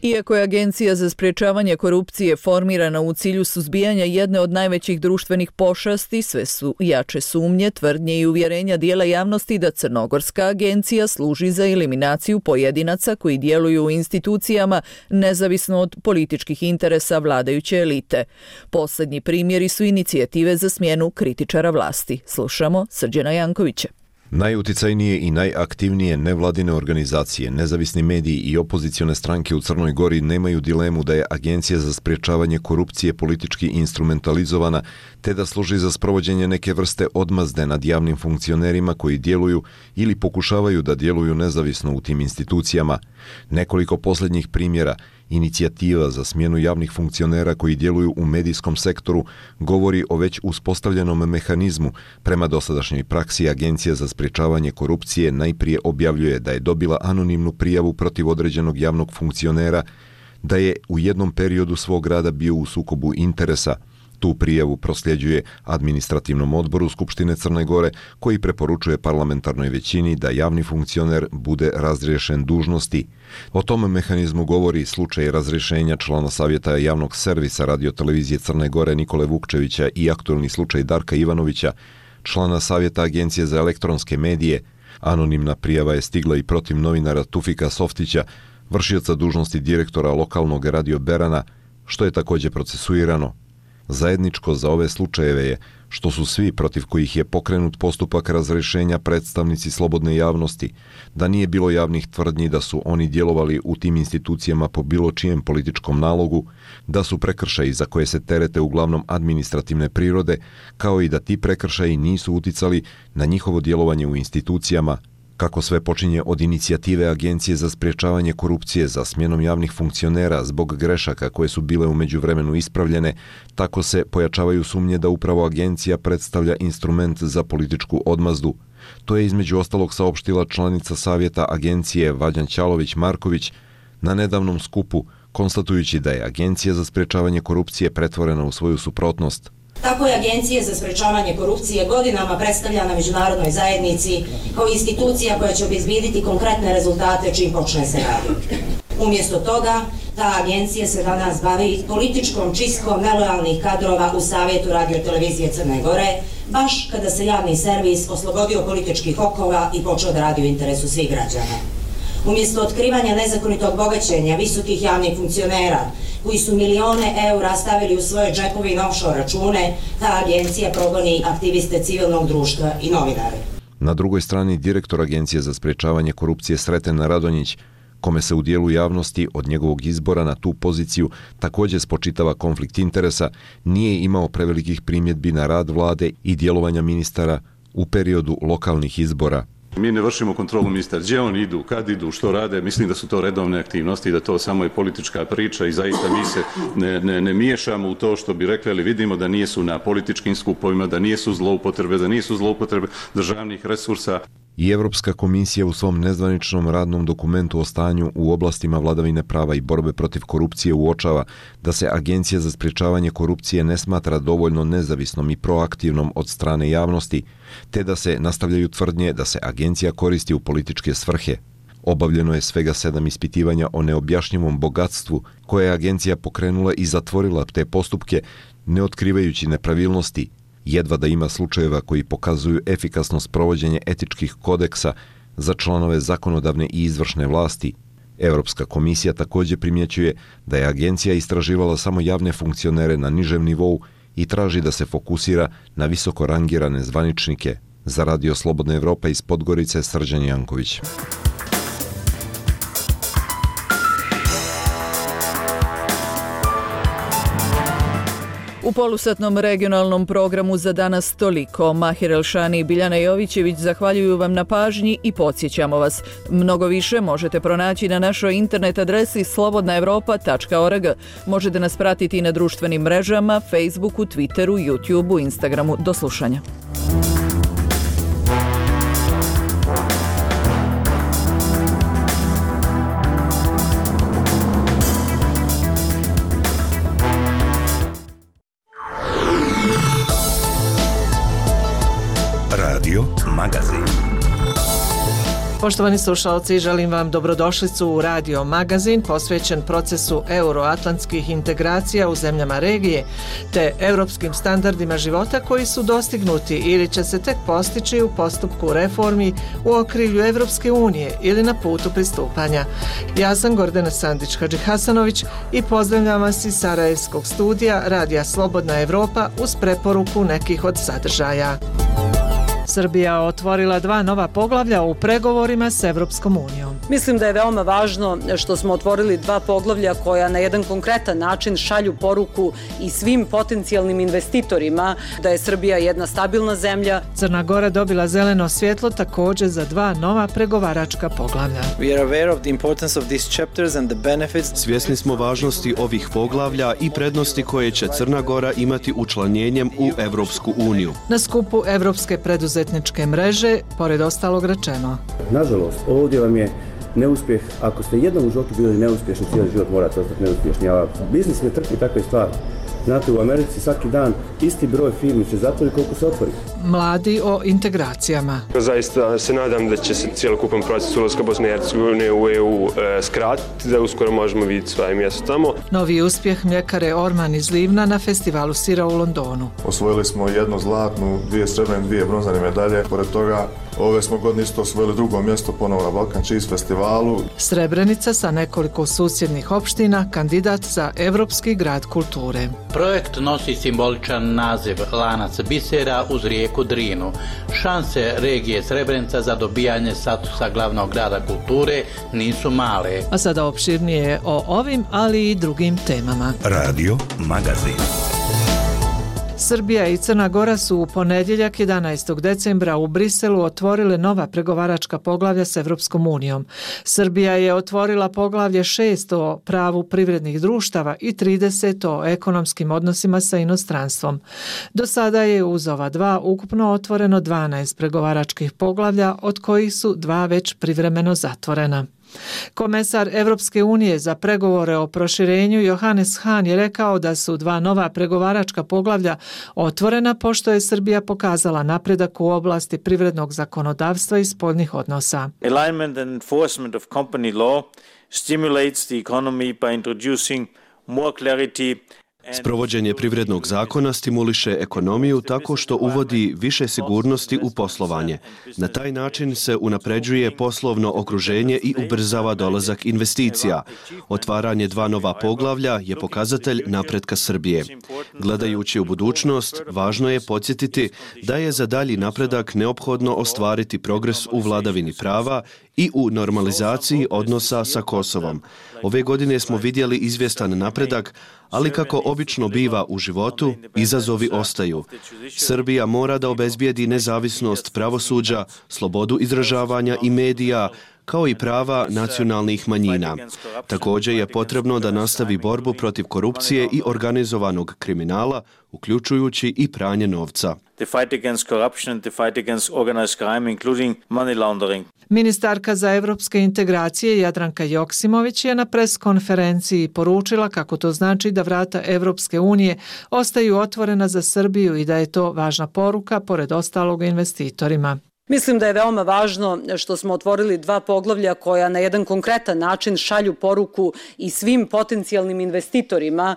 Iako je Agencija za sprječavanje korupcije formirana u cilju suzbijanja jedne od najvećih društvenih pošasti, sve su jače sumnje, tvrdnje i uvjerenja dijela javnosti da Crnogorska agencija služi za eliminaciju pojedinaca koji djeluju u institucijama nezavisno od političkih interesa vladajuće elite. Posljednji primjeri su inicijative za smjenu kritičara vlasti. Slušamo Srđana Jankovića. Najuticajnije i najaktivnije nevladine organizacije, nezavisni mediji i opozicione stranke u Crnoj Gori nemaju dilemu da je Agencija za sprječavanje korupcije politički instrumentalizovana, te da služi za sprovođenje neke vrste odmazde nad javnim funkcionerima koji djeluju ili pokušavaju da djeluju nezavisno u tim institucijama. Nekoliko posljednjih primjera inicijativa za smjenu javnih funkcionera koji djeluju u medijskom sektoru govori o već uspostavljenom mehanizmu. Prema dosadašnjoj praksi, Agencija za sprječavanje korupcije najprije objavljuje da je dobila anonimnu prijavu protiv određenog javnog funkcionera, da je u jednom periodu svog rada bio u sukobu interesa. Tu prijavu prosljeđuje administrativnom odboru Skupštine Crne Gore, koji preporučuje parlamentarnoj većini da javni funkcioner bude razriješen dužnosti. O tom mehanizmu govori slučaj razrješenja člana Savjeta javnog servisa radiotelevizije Crne Gore Nikole Vukčevića i aktualni slučaj Darka Ivanovića, člana Savjeta Agencije za elektronske medije. Anonimna prijava je stigla i protiv novinara Tufika Softića, vršioca dužnosti direktora lokalnog radio Berana, što je također procesuirano. Zajedničko za ove slučajeve je što su svi protiv kojih je pokrenut postupak razrješenja predstavnici slobodne javnosti, da nije bilo javnih tvrdnji da su oni djelovali u tim institucijama po bilo čijem političkom nalogu, da su prekršaji za koje se terete uglavnom administrativne prirode, kao i da ti prekršaji nisu uticali na njihovo djelovanje u institucijama. Kako sve počinje od inicijative Agencije za sprječavanje korupcije za smjenom javnih funkcionera zbog grešaka koje su bile u međuvremenu ispravljene, tako se pojačavaju sumnje da upravo agencija predstavlja instrument za političku odmazdu. To je između ostalog saopštila članica Savjeta Agencije Vađan Ćalović-Marković na nedavnom skupu, konstatujući da je Agencija za sprječavanje korupcije pretvorena u svoju suprotnost. Tako je Agencija za sprječavanje korupcije godinama predstavljana međunarodnoj zajednici kao institucija koja će obezbijediti konkretne rezultate čim počne se raditi. Umjesto toga, ta agencija se danas bavi političkom čistkom nelojalnih kadrova u Savjetu radiotelevizije Crne Gore, baš kada se javni servis oslobodio političkih okova i počeo da radi u interesu svih građana. Umjesto otkrivanja nezakonitog bogaćenja visokih javnih funkcionera koji su milione eura stavili u svoje džepove i offshore račune, ta agencija progoni aktiviste civilnog društva i novinare. Na drugoj strani direktor Agencije za sprječavanje korupcije Sreten Radonjić, kome se u dijelu javnosti od njegovog izbora na tu poziciju također spočitava konflikt interesa, nije imao prevelikih primjedbi na rad vlade i djelovanja ministara u periodu lokalnih izbora. Mi ne vršimo kontrolu ministara, gdje oni idu, kad idu, što rade, mislim da su to redovne aktivnosti i da to samo je politička priča i zaista mi se ne miješamo u to što bi rekli, ali vidimo da nisu na političkim skupovima, da nisu zloupotrebe državnih resursa. I Europska komisija u svom nezvaničnom radnom dokumentu o stanju u oblastima vladavine prava i borbe protiv korupcije uočava da se Agencija za sprječavanje korupcije ne smatra dovoljno nezavisnom i proaktivnom od strane javnosti, te da se nastavljaju tvrdnje da se agencija koristi u političke svrhe. Obavljeno je svega 7 ispitivanja o neobjašnjivom bogatstvu koje je agencija pokrenula i zatvorila te postupke, ne otkrivajući nepravilnosti. Jedva da ima slučajeva koji pokazuju efikasno sprovođenje etičkih kodeksa za članove zakonodavne i izvršne vlasti. Europska komisija također primjećuje da je agencija istraživala samo javne funkcionere na nižem nivou i traži da se fokusira na visoko rangirane zvaničnike. Za Radio Slobodna Evropa iz Podgorice, Srđan Janković. U polusatnom regionalnom programu za danas toliko. Mahir Elšani i Biljana Jovićević zahvaljuju vam na pažnji i podsjećamo vas. Mnogo više možete pronaći na našoj internet adresi slobodnaevropa.org. Možete nas pratiti i na društvenim mrežama, Facebooku, Twitteru, YouTubeu, Instagramu. Do slušanja. Magazin. Poštovani slušalci, želim vam dobrodošlicu u Radio Magazin posvećen procesu euroatlantskih integracija u zemljama regije te europskim standardima života koji su dostignuti ili će se tek postići u postupku reformi u okrilju Evropske unije ili na putu pristupanja. Ja sam Gordana Sandić-Hadžihasanović i pozdravljam vas iz Sarajevskog studija Radija Slobodna Evropa uz preporuku nekih od sadržaja. Srbija otvorila 2 nova poglavlja u pregovorima s Evropskom unijom. Mislim da je veoma važno što smo otvorili 2 poglavlja koja na jedan konkretan način šalju poruku i svim potencijalnim investitorima da je Srbija jedna stabilna zemlja. Crna Gora dobila zeleno svjetlo također za 2 nova pregovaračka poglavlja. Svjesni smo važnosti ovih poglavlja i prednosti koje će Crna Gora imati učlanjenjem u Evropsku uniju. Na skupu Evropske preduzetničke mreže, pored ostalog rečeno. Nažalost, ovdje vam je neuspjeh. Ako ste jednom u životu bili neuspješni, cijeli život morate ostati neuspješni. A biznis ne trpi takve stvari. Znate, u Americi svaki dan isti broj firmi se zatvori koliko se otvori. Mladi o integracijama. Zaista se nadam da će se cijelokupan proces ulaska Bosne i Hercegovine u EU skratiti, da uskoro možemo vidjeti svoje mjesto tamo. Novi uspjeh mljekare Orman iz Livna na festivalu sira u Londonu. Osvojili smo 1 zlatnu, 2 srebrne, 2 bronzane medalje. Pored toga, ove smo godine isto osvojili 2. mjesto ponovo na Balkan Cheese festivalu. Srebrenica sa nekoliko susjednih opština, kandidat za Evropski grad kulture. Projekt nosi simboličan naziv Lanac bisera uz rijeku Drinu. Šanse regije Srebrenica za dobijanje statusa glavnog grada kulture nisu male. A sada opširnije o ovim, ali i drugim temama. Radio Magazin. Srbija i Crna Gora su u ponedjeljak 11. decembra u Briselu otvorile nova pregovaračka poglavlja s Evropskom unijom. Srbija je otvorila poglavlje 6 o pravu privrednih društava i 30 o ekonomskim odnosima sa inostranstvom. Do sada je uz ova 2 ukupno otvoreno 12 pregovaračkih poglavlja, od kojih su 2 već privremeno zatvorena. Komesar Evropske unije za pregovore o proširenju Johannes Hahn je rekao da su 2 nova pregovaračka poglavlja otvorena pošto je Srbija pokazala napredak u oblasti privrednog zakonodavstva i spoljnih odnosa. Alignment and enforcement of company law stimulates the economy by introducing more clarity. Sprovođenje privrednog zakona stimuliše ekonomiju tako što uvodi više sigurnosti u poslovanje. Na taj način se unapređuje poslovno okruženje i ubrzava dolazak investicija. Otvaranje 2 nova poglavlja je pokazatelj napretka Srbije. Gledajući u budućnost, važno je podsjetiti da je za dalji napredak neophodno ostvariti progres u vladavini prava i u normalizaciji odnosa sa Kosovom. Ove godine smo vidjeli izvjestan napredak, ali kako obično biva u životu, izazovi ostaju. Srbija mora da obezbijedi nezavisnost pravosuđa, slobodu izražavanja i medija, kao i prava nacionalnih manjina. Također je potrebno da nastavi borbu protiv korupcije i organizovanog kriminala, uključujući i pranje novca. The fight against corruption and the fight against organized crime, including money laundering. Ministarka za evropske integracije Jadranka Joksimović je na preskonferenciji poručila kako to znači da vrata Evropske unije ostaju otvorena za Srbiju i da je to važna poruka pored ostalog investitorima. Mislim da je veoma važno što smo otvorili 2 poglavlja koja na jedan konkretan način šalju poruku i svim potencijalnim investitorima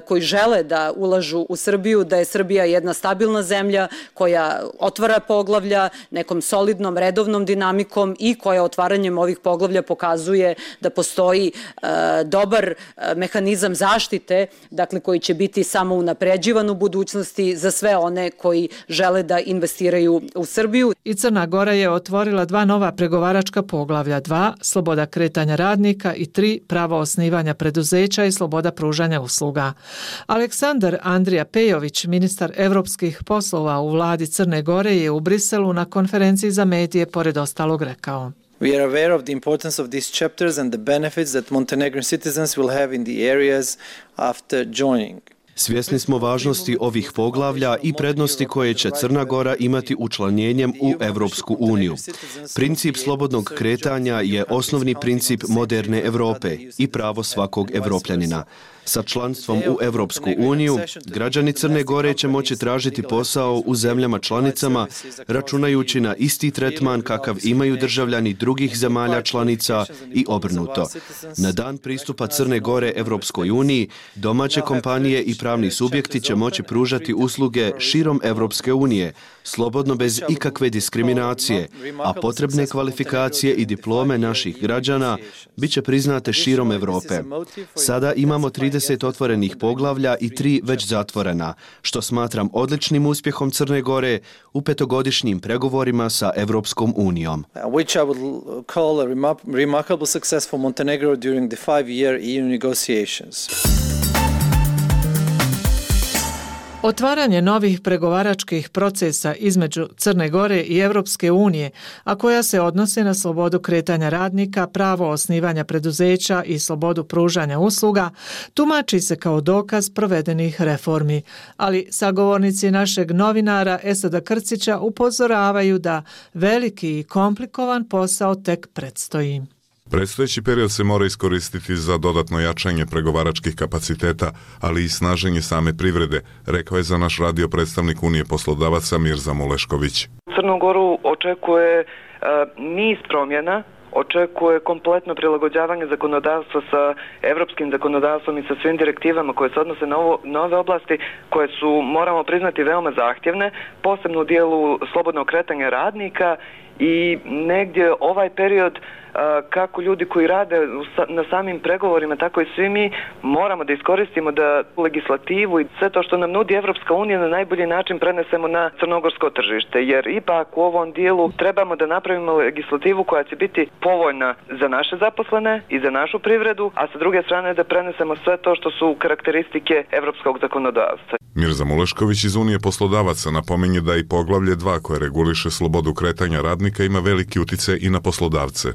koji žele da ulažu u Srbiju, da je Srbija jedna stabilna zemlja koja otvara poglavlja nekom solidnom, redovnom dinamikom i koja otvaranjem ovih poglavlja pokazuje da postoji dobar mehanizam zaštite, dakle koji će biti samo unapređivan u budućnosti za sve one koji žele da investiraju u Srbiju. I Crna Gora je otvorila 2 nova pregovaračka poglavlja, 2 sloboda kretanja radnika i 3 pravo osnivanja preduzeća i sloboda pružanja usluga. Aleksandar Andrija Pejović, ministar evropskih poslova u vladi Crne Gore, je u Briselu na konferenciji za medije pored ostalog rekao: We are aware of the importance of these chapters and the benefits that Montenegrin citizens will have in the areas after joining. Svjesni smo važnosti ovih poglavlja i prednosti koje će Crna Gora imati učlanjenjem u Evropsku uniju. Princip slobodnog kretanja je osnovni princip moderne Europe i pravo svakog Evropljanina. Sa članstvom u Evropsku uniju, građani Crne Gore će moći tražiti posao u zemljama članicama, računajući na isti tretman kakav imaju državljani drugih zemalja članica i obrnuto. Na dan pristupa Crne Gore Evropskoj uniji, domaće kompanije i pravni subjekti će moći pružati usluge širom Evropske unije, slobodno bez ikakve diskriminacije, a potrebne kvalifikacije i diplome naših građana bit će priznate širom Evrope. Sada imamo 30 otvorenih poglavlja i 3 već zatvorena, što smatram odličnim uspjehom Crne Gore u 5-godišnjim pregovorima sa Evropskom unijom. Which I would call a remarkable success for Montenegro during the 5-year EU negotiations. Otvaranje novih pregovaračkih procesa između Crne Gore i Evropske unije, a koja se odnose na slobodu kretanja radnika, pravo osnivanja preduzeća i slobodu pružanja usluga, tumači se kao dokaz provedenih reformi. Ali sagovornici našeg novinara Esada Krcića upozoravaju da veliki i komplikovan posao tek predstoji. Predstojeći period se mora iskoristiti za dodatno jačanje pregovaračkih kapaciteta, ali i snaženje same privrede, rekao je za naš radio predstavnik Unije poslodavaca Mirza Mulešković. Crnu Goru očekuje niz promjena, očekuje kompletno prilagođavanje zakonodavstva sa evropskim zakonodavstvom i sa svim direktivama koje se odnose na nove oblasti koje su, moramo priznati, veoma zahtjevne, posebno u dijelu slobodnog kretanja radnika i negdje ovaj period kako ljudi koji rade na samim pregovorima, tako i svi mi moramo da iskoristimo da legislativu i sve to što nam nudi Evropska unija na najbolji način prenesemo na crnogorsko tržište, jer ipak u ovom dijelu trebamo da napravimo legislativu koja će biti povoljna za naše zaposlene i za našu privredu, a sa druge strane da prenesemo sve to što su karakteristike evropskog zakonodavstva. Mirza Mulešković iz Unije poslodavaca napominje da i poglavlje 2 koje reguliše slobodu kretanja radnika ima veliki utjecaj i na poslodavce.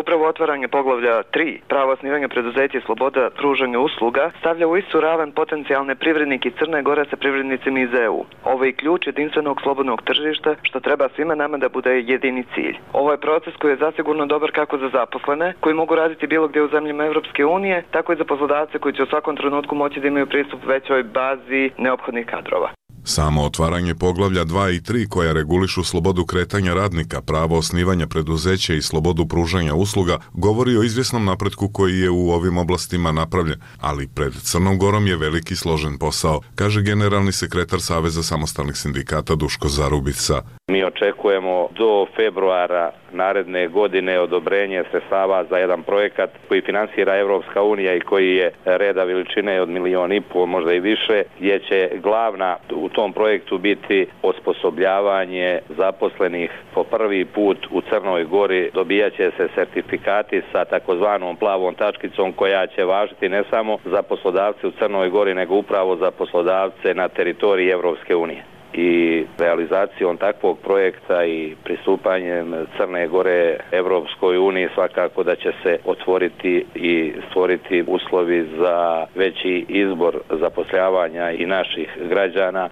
Upravo otvaranje poglavlja 3, pravo osnivanja preduzeća i sloboda pružanja usluga, stavlja u istu ravan potencijalne privrednike Crne Gore sa privrednicima iz EU. Ovo je ključ jedinstvenog slobodnog tržišta, što treba svima nama da bude jedini cilj. Ovo je proces koji je zasigurno dobar kako za zaposlene, koji mogu raditi bilo gdje u zemljama Evropske unije, tako i za poslodavce koji će u svakom trenutku moći da imaju pristup većoj bazi neophodnih kadrova. Samo otvaranje poglavlja 2 i 3 koja regulišu slobodu kretanja radnika, pravo osnivanja preduzeća i slobodu pružanja usluga govori o izvjesnom napretku koji je u ovim oblastima napravljen, ali pred Crnom Gorom je veliki složen posao, kaže generalni sekretar Saveza samostalnih sindikata Duško Zarubica. Mi očekujemo do februara naredne godine odobrenje sredstava za jedan projekat koji finansira Evropska unija i koji je reda veličine od 1,5 miliona, možda i više, gdje će glavna u tom projektu biti osposobljavanje zaposlenih po prvi put u Crnoj Gori. Dobijaće se sertifikati sa takozvanom plavom tačkicom koja će važiti ne samo za poslodavce u Crnoj Gori, nego upravo za poslodavce na teritoriji Evropske unije. I realizacijom takvog projekta i pristupanjem Crne Gore Evropskoj uniji svakako da će se otvoriti i stvoriti uslovi za veći izbor zapošljavanja i naših građana.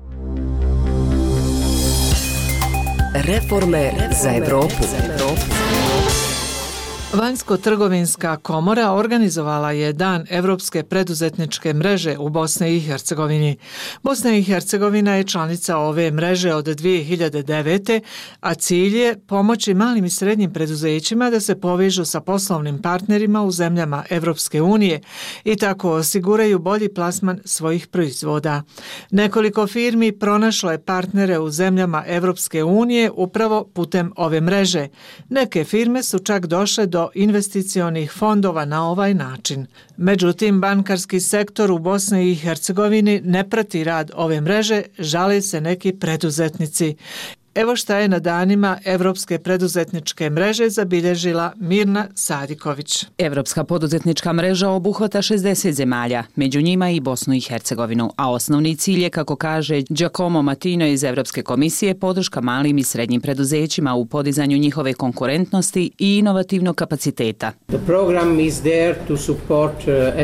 Reforme za Evropu. Vanjsko-trgovinska komora organizovala je Dan Evropske preduzetničke mreže u Bosni i Hercegovini. Bosna i Hercegovina je članica ove mreže od 2009. a cilj je pomoći malim i srednjim preduzećima da se povežu sa poslovnim partnerima u zemljama Evropske unije i tako osiguraju bolji plasman svojih proizvoda. Nekoliko firmi pronašlo je partnere u zemljama Evropske unije upravo putem ove mreže. Neke firme su čak došle do investicionih fondova na ovaj način. Međutim, bankarski sektor u Bosni i Hercegovini ne prati rad ove mreže, žale se neki preduzetnici. Evo šta je na danima Evropske preduzetničke mreže zabilježila Mirna Sadiković. Evropska poduzetnička mreža obuhvata 60 zemalja, među njima i Bosnu i Hercegovinu, a osnovni cilj je, kako kaže Giacomo Matino iz Evropske komisije, podrška malim i srednjim preduzećima u podizanju njihove konkurentnosti i inovativnog kapaciteta. The program is there to support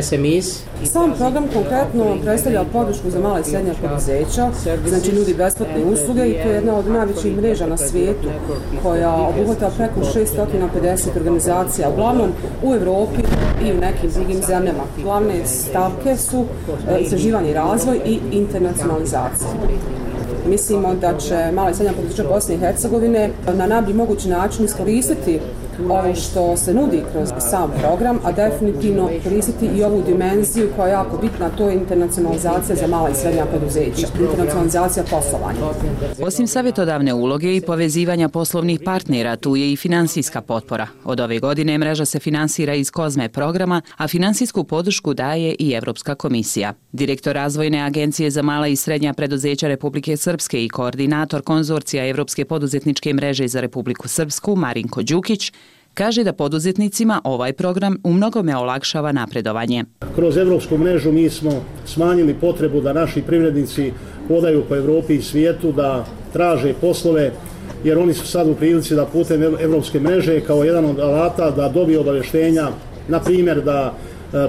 SMEs. Sam program konkretno predstavlja podršku za mala i srednja preduzeća, znači nudi besplatne usluge i to je jedna od najvećih mreža na svijetu koja obuhvata preko 650 organizacija, uglavnom u Evropi i u nekim drugim zemljama. Glavne stavke su istraživanje i razvoj i internacionalizacija. Mislimo da će mala i srednja poduzeća Bosne i Hercegovine na najbolji mogući način iskoristiti ovo što se nudi kroz sam program, a definitivno koristiti i ovu dimenziju koja je jako bitna, to je internacionalizacija za mala i srednja preduzeća, internacionalizacija poslovanja. Osim savjetodavne uloge i povezivanja poslovnih partnera, tu je i finansijska potpora. Od ove godine mreža se finansira iz COSME programa, a finansijsku podršku daje i Evropska komisija. Direktor Razvojne agencije za mala i srednja preduzeća Republike Srpske i koordinator konzorcija Evropske poduzetničke mreže za Republiku Srpsku, Marinko Đukić, kaže da poduzetnicima ovaj program u mnogome olakšava napredovanje. Kroz Evropsku mrežu mi smo smanjili potrebu da naši privrednici hodaju po Evropi i svijetu, da traže poslove, jer oni su sad u prilici da putem Evropske mreže kao jedan od alata da dobiju obavještenja, na primjer da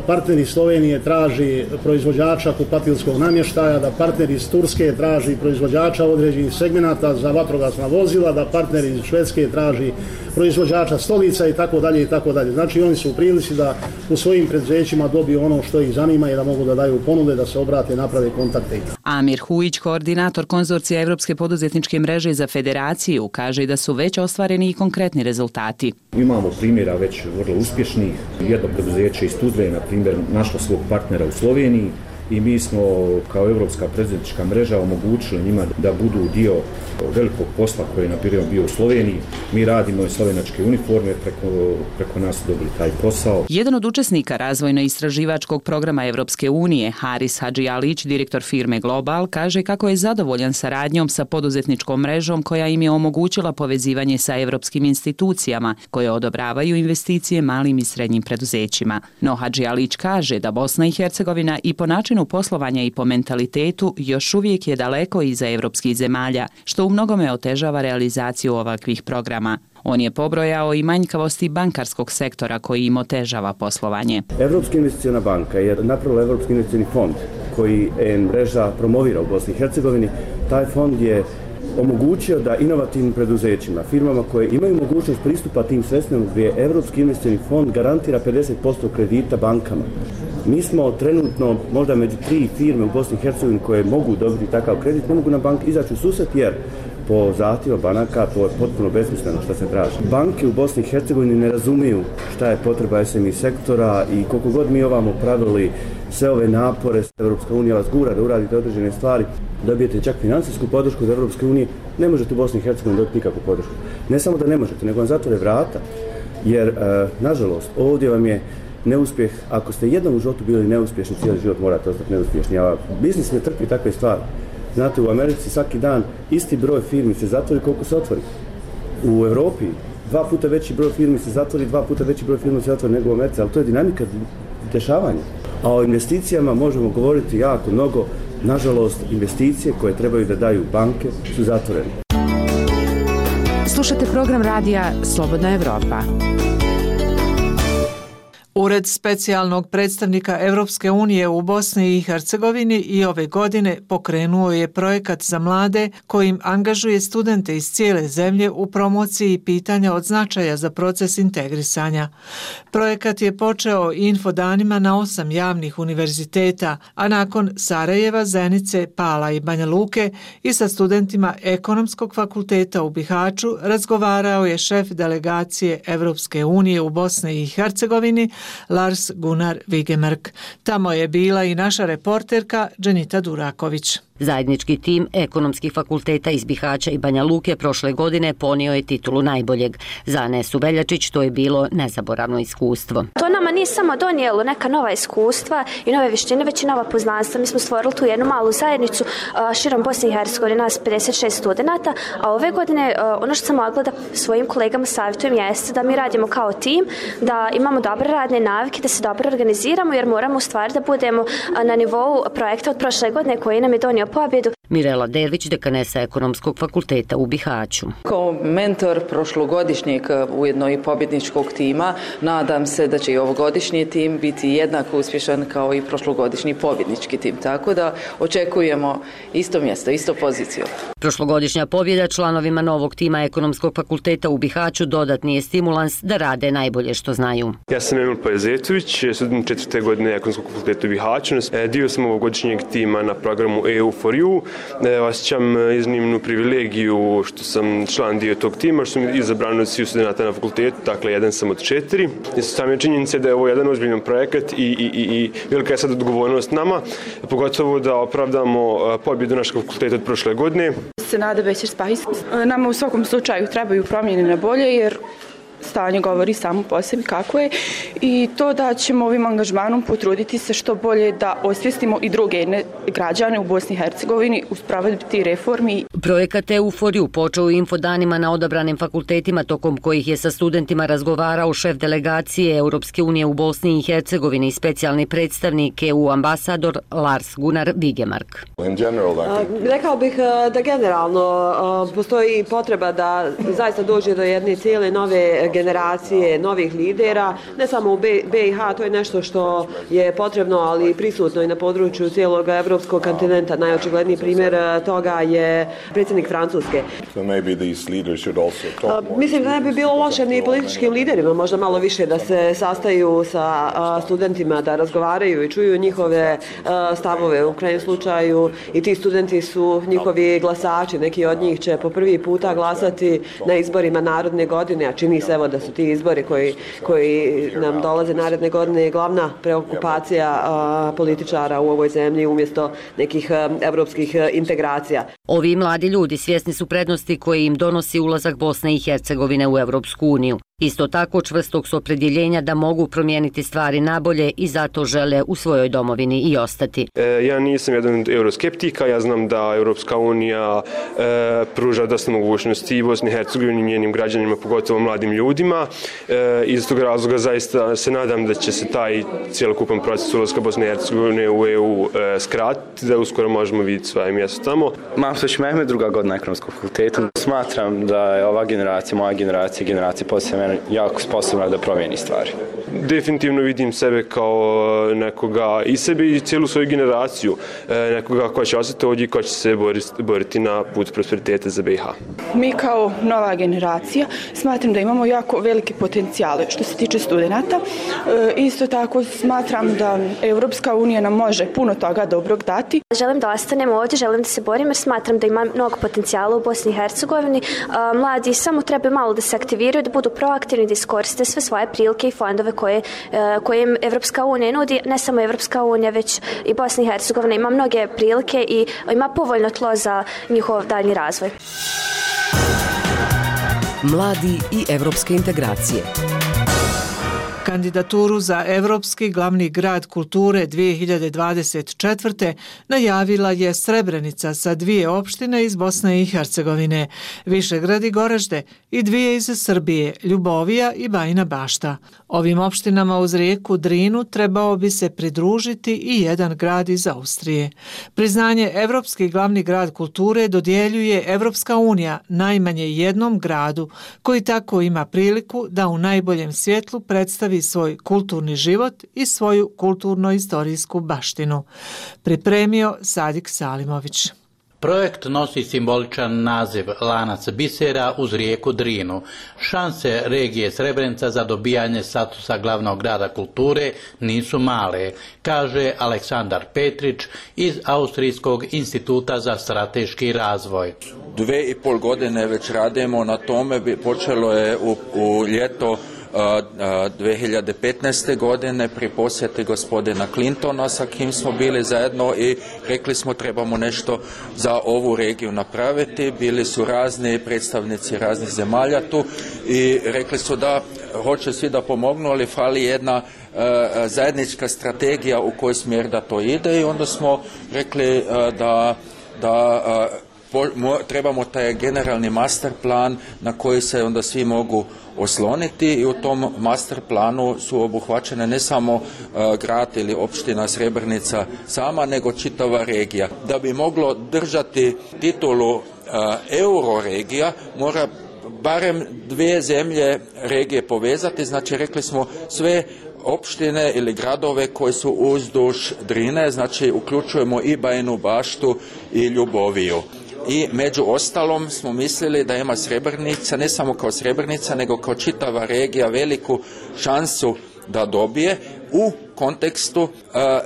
partner iz Slovenije traži proizvođača kupatilskog namještaja, da partner iz Turske traži proizvođača određenih segmenata za vatrogasna vozila, da partner iz Švedske traži proizvođača stolica i tako dalje i tako dalje. Znači oni su u prilici da u svojim preduzećima dobiju ono što ih zanima i da mogu da daju ponude, da se obrate, naprave kontakte. Amir Hujić, koordinator konzorcija Evropske poduzetničke mreže za federaciju, kaže da su već ostvareni i konkretni rezultati. Imamo primjera već vrlo uspješnih. Jedno preduzeće iz Tuzle, na primjer, našlo svog partnera u Sloveniji i mi smo kao Evropska preduzetnička mreža omogućili njima da budu dio velikog posla koji je na primjer bio u Sloveniji. Mi radimo i slovenačke uniforme, preko nas dobili taj posao. Jedan od učesnika razvojno-istraživačkog programa Evropske unije, Haris Hadžijalić, direktor firme Global, kaže kako je zadovoljan saradnjom sa poduzetničkom mrežom koja im je omogućila povezivanje sa evropskim institucijama koje odobravaju investicije malim i srednjim preduzećima. No Hadžijalić kaže da Bosna i Hercegovina i po načinu poslovanja i po mentalitetu još uvijek je daleko iza evropskih zemalja, što u mnogome otežava realizaciju ovakvih programa. On je pobrojao i manjkavosti bankarskog sektora koji im otežava poslovanje. Evropska investiciona banka je napravila Evropski investicioni fond koji mreža promovira u Bosni i Hercegovini. Taj fond je omogućio da inovativnim preduzećima, firmama koje imaju mogućnost pristupa tim sredstvima, gdje Evropski investicioni fond garantira 50% kredita bankama. Mi smo trenutno možda među 3 firme u Bosni i Hercegovini koje mogu dobiti takav kredit, ne mogu na bank izaći u susret jer po zahtjevu banaka to je potpuno besmisleno što se traži. Banke u Bosni i Hercegovini ne razumiju šta je potreba SMI sektora i koliko god mi ovamo pravili sve ove napore, Evropska unija vas gura da uradite određene stvari, dobijete čak financijsku podršku od Evropske unije, ne možete u Bosni i Hercegovini dobiti nikakvu podršku. Ne samo da ne možete, nego vam zatvore vrata, jer nažalost ovdje vam je neuspjeh, ako ste jednom u životu bili neuspješni, cijeli život morate ostati neuspješni, a biznis ne trpi takve stvari. Znate, u Americi svaki dan isti broj firmi se zatvori koliko se otvori. U Evropi 2 puta veći broj firmi se zatvori, 2 puta veći broj firmi se otvori nego u Americi, ali to je dinamika dešavanja. A o investicijama možemo govoriti jako mnogo. Nažalost, investicije koje trebaju da daju banke su zatvorene. Slušate program radija Slobodna Evropa. Ured specijalnog predstavnika Evropske unije u Bosni i Hercegovini i ove godine pokrenuo je projekat za mlade kojim angažuje studente iz cijele zemlje u promociji pitanja od značaja za proces integrisanja. Projekat je počeo infodanima na 8 javnih univerziteta, a nakon Sarajeva, Zenice, Pala i Banja Luke i sa studentima Ekonomskog fakulteta u Bihaću razgovarao je šef delegacije Evropske unije u Bosni i Hercegovini Lars Gunnar Vigemark. Tamo je bila i naša reporterka Dženita Duraković. Zajednički tim ekonomskih fakulteta iz Bihaća i Banja Luke prošle godine ponio je titulu najboljeg. Za Anesu Veljačić to je bilo nezaboravno iskustvo. To nama nije samo donijelo neka nova iskustva i nove vještine, već i nova poznanstva. Mi smo stvorili tu jednu malu zajednicu širom Bosne i Hercegovine, nas 56 studenata, a ove godine ono što sam mogla da svojim kolegama savjetujem jeste da mi radimo kao tim, da imamo dobre radne navike, da se dobro organiziramo jer moramo u stvari da budemo na nivou projekta od prošle godine koji nam je donio pobjedu. Mirela Dervić, dekanesa Ekonomskog fakulteta u Bihaću. Kao mentor prošlogodišnjeg ujedno i pobjedničkog tima, nadam se da će i ovogodišnji tim biti jednako uspješan kao i prošlogodišnji pobjednički tim. Tako da očekujemo isto mjesto, isto poziciju. Prošlogodišnja pobjeda članovima novog tima Ekonomskog fakulteta u Bihaću dodatni je stimulans da rade najbolje što znaju. Ja sam Emil Pajezetović, student 4. godine Ekonomskog fakulteta u Bihaću. Dio sam ovogodišnjeg tima na programu EU for You. Osjećam iznimnu privilegiju što sam član dio tog tima, što sam izabran od svih studenta na fakultetu, dakle jedan sam od 4. Sam je činjenica da je ovo jedan ozbiljan projekat i velika je sad odgovornost nama, pogotovo da opravdamo pobjedu našeg fakulteta od prošle godine. Senada Bećer-Spahis. Nama u svakom slučaju trebaju promjene na bolje jer stanje govori samo po sebi kako je i to da ćemo ovim angažmanom potruditi se što bolje da osvijestimo i druge građane u Bosni i Hercegovini u sprovedbi reformi. Projekat EU for You počeo u infodanima na odabranim fakultetima tokom kojih je sa studentima razgovarao šef delegacije Europske unije u Bosni i Hercegovini i specijalni predstavnik EU ambasador Lars Gunnar Vigemark. Rekao bih da generalno postoji potreba da zaista dođe do jedne cijele nove generacije novih lidera, ne samo u BiH, to je nešto što je potrebno, ali prisutno i na području cijelog evropskog kontinenta. Najočigledniji primjer toga je predsjednik Francuske. Mislim da ne bi bilo loše ni političkim liderima, možda malo više da se sastaju sa studentima, da razgovaraju i čuju njihove stavove. U krajnjem slučaju i ti studenti su njihovi glasači, neki od njih će po prvi puta glasati na izborima narodne godine, a čini se evo da su ti izbori koji nam dolaze naredne godine glavna preokupacija političara u ovoj zemlji umjesto nekih evropskih integracija. Ovi mladi ljudi svjesni su prednosti koje im donosi ulazak Bosne i Hercegovine u Evropsku uniju. Isto tako čvrstog su opredjeljenja da mogu promijeniti stvari nabolje i zato žele u svojoj domovini i ostati. Ja nisam jedan od euroskeptika, ja znam da Evropska unija pruža dosta mogućnosti i Bosni i Hercegovini i njenim građanima, pogotovo mladim ljudima. Iz tog razloga zaista se nadam da će se taj cijelokupan proces ulaska Bosne i Hercegovine u EU skratiti, da uskoro možemo vidjeti svoje mjesto tamo. Mahsuć Mehmed, druga godina Ekonomskog fakulteta. Smatram da je ova generacija, moja generacija poslije jako sposobna da promijeni stvari. Definitivno vidim sebe kao nekoga i sebe i cijelu svoju generaciju, nekoga koja će ostati ovdje i koja će se boriti na put prosperiteta za BiH. Mi kao nova generacija smatram da imamo jako velike potencijale što se tiče studenata. Isto tako smatram da Evropska unija nam može puno toga dobrog dati. Želim da ostanem ovdje, želim da se borim jer smatram da ima mnogo potencijala u Bosni i Hercegovini. Mladi samo treba malo da se aktiviraju, da budu proaktivni, da iskoriste sve svoje prilike i fondove koje im Evropska unija nudi. Ne samo Evropska unija, već i Bosna i Hercegovina ima mnoge prilike i ima povoljno tlo za njihov daljnji razvoj. Mladi i evropske integracije. Kandidaturu za Evropski glavni grad kulture 2024. najavila je Srebrenica sa 2 opštine iz Bosne i Hercegovine, Višegrad i Goražde i 2 iz Srbije, Ljubovija i Bajina Bašta. Ovim opštinama uz rijeku Drinu trebao bi se pridružiti i jedan grad iz Austrije. Priznanje Evropski glavni grad kulture dodjeljuje Evropska unija najmanje jednom gradu koji tako ima priliku da u najboljem svjetlu predstavi predstavi svoj kulturni život i svoju kulturno-istorijsku baštinu. Pripremio Sadik Salimović. Projekt nosi simboličan naziv Lanac bisera uz rijeku Drinu. Šanse regije Srebrenica za dobijanje statusa glavnog grada kulture nisu male, kaže Aleksandar Petrić iz Austrijskog instituta za strateški razvoj. 2,5 godine već radimo na tome, počelo je u ljeto 2015. godine pri posjeti gospodina Clintona sa kim smo bili zajedno i rekli smo trebamo nešto za ovu regiju napraviti. Bili su razni predstavnici raznih zemalja tu i rekli su da hoće svi da pomognu, ali fali jedna zajednička strategija u koji smjer da to ide i onda smo rekli da trebamo taj generalni master plan na koji se onda svi mogu osloniti i u tom master planu su obuhvaćene ne samo grad ili opština Srebrenica sama, nego čitava regija. Da bi moglo držati titulu euroregija, mora barem 2 zemlje regije povezati, znači rekli smo sve opštine ili gradove koji su uzduž Drine, znači uključujemo i Bajinu Baštu i Ljuboviju. I među ostalom smo mislili da ima Srebrenica, ne samo kao Srebrenica, nego kao čitava regija veliku šansu da dobije u kontekstu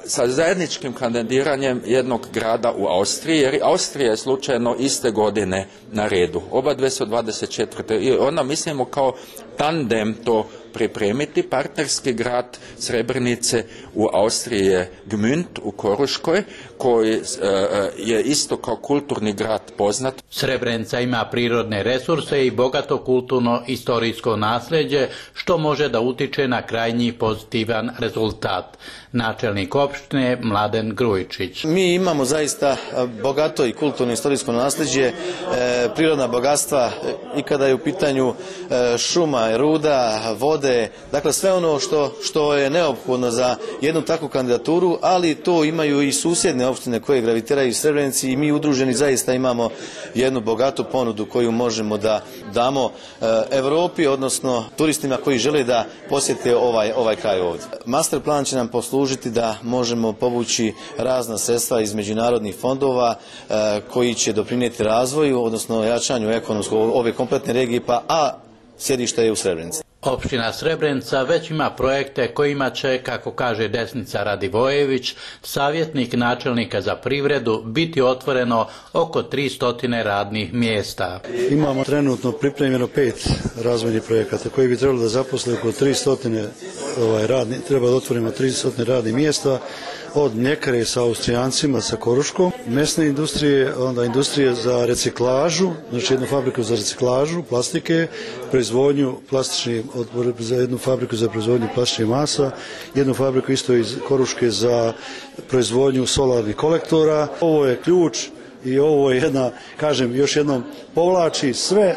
sa zajedničkim kandidiranjem jednog grada u Austriji, jer Austrija je slučajno iste godine na redu. Oba dve su 24. I onda mislimo kao tandem to pripremiti. Partnerski grad Srebrenice u Austriji je Gmünd u Koruškoj, koji je isto kao kulturni grad poznat. Srebrenica ima prirodne resurse i bogato kulturno-istorijsko nasljeđe, što može da utiče na krajnji pozitivan rezultat. Načelnik opštine Mladen Grujičić. Mi imamo zaista bogato i kulturno-istorijsko nasljeđe, prirodna bogatstva i kada je u pitanju šuma, ruda, vode, dakle sve ono što je neophodno za jednu takvu kandidaturu, ali to imaju i susjedne opštine koje gravitiraju Srebrenici i mi udruženi zaista imamo jednu bogatu ponudu koju možemo da damo Evropi, odnosno turistima koji žele da posjete ovaj kraj ovdje. Master plan će nam poslužiti da možemo povući razna sredstva iz međunarodnih fondova koji će doprinijeti razvoju, odnosno jačanju ekonomskog ove kompletne regije, a sjedište je u Srebrenici. Opština Srebrenica već ima projekte kojima će, kako kaže Desnica Radivojević, savjetnik načelnika za privredu, biti otvoreno oko 300 radnih mjesta. Imamo trenutno pripremljeno 5 razvojnih projekata koji bi trebalo da zaposle oko 300 treba da otvorimo 300 radnih mjesta, od mljekare sa Austrijancima, sa Koruškom, mesne industrije, onda industrije za reciklažu, znači jednu fabriku za reciklažu plastike, proizvodnju plastičnih, za jednu fabriku za proizvodnju plastičnih masa, jednu fabriku isto iz Koruške za proizvodnju solarnih kolektora. Ovo je ključ i ovo je jedna, kažem, još jednom povlači sve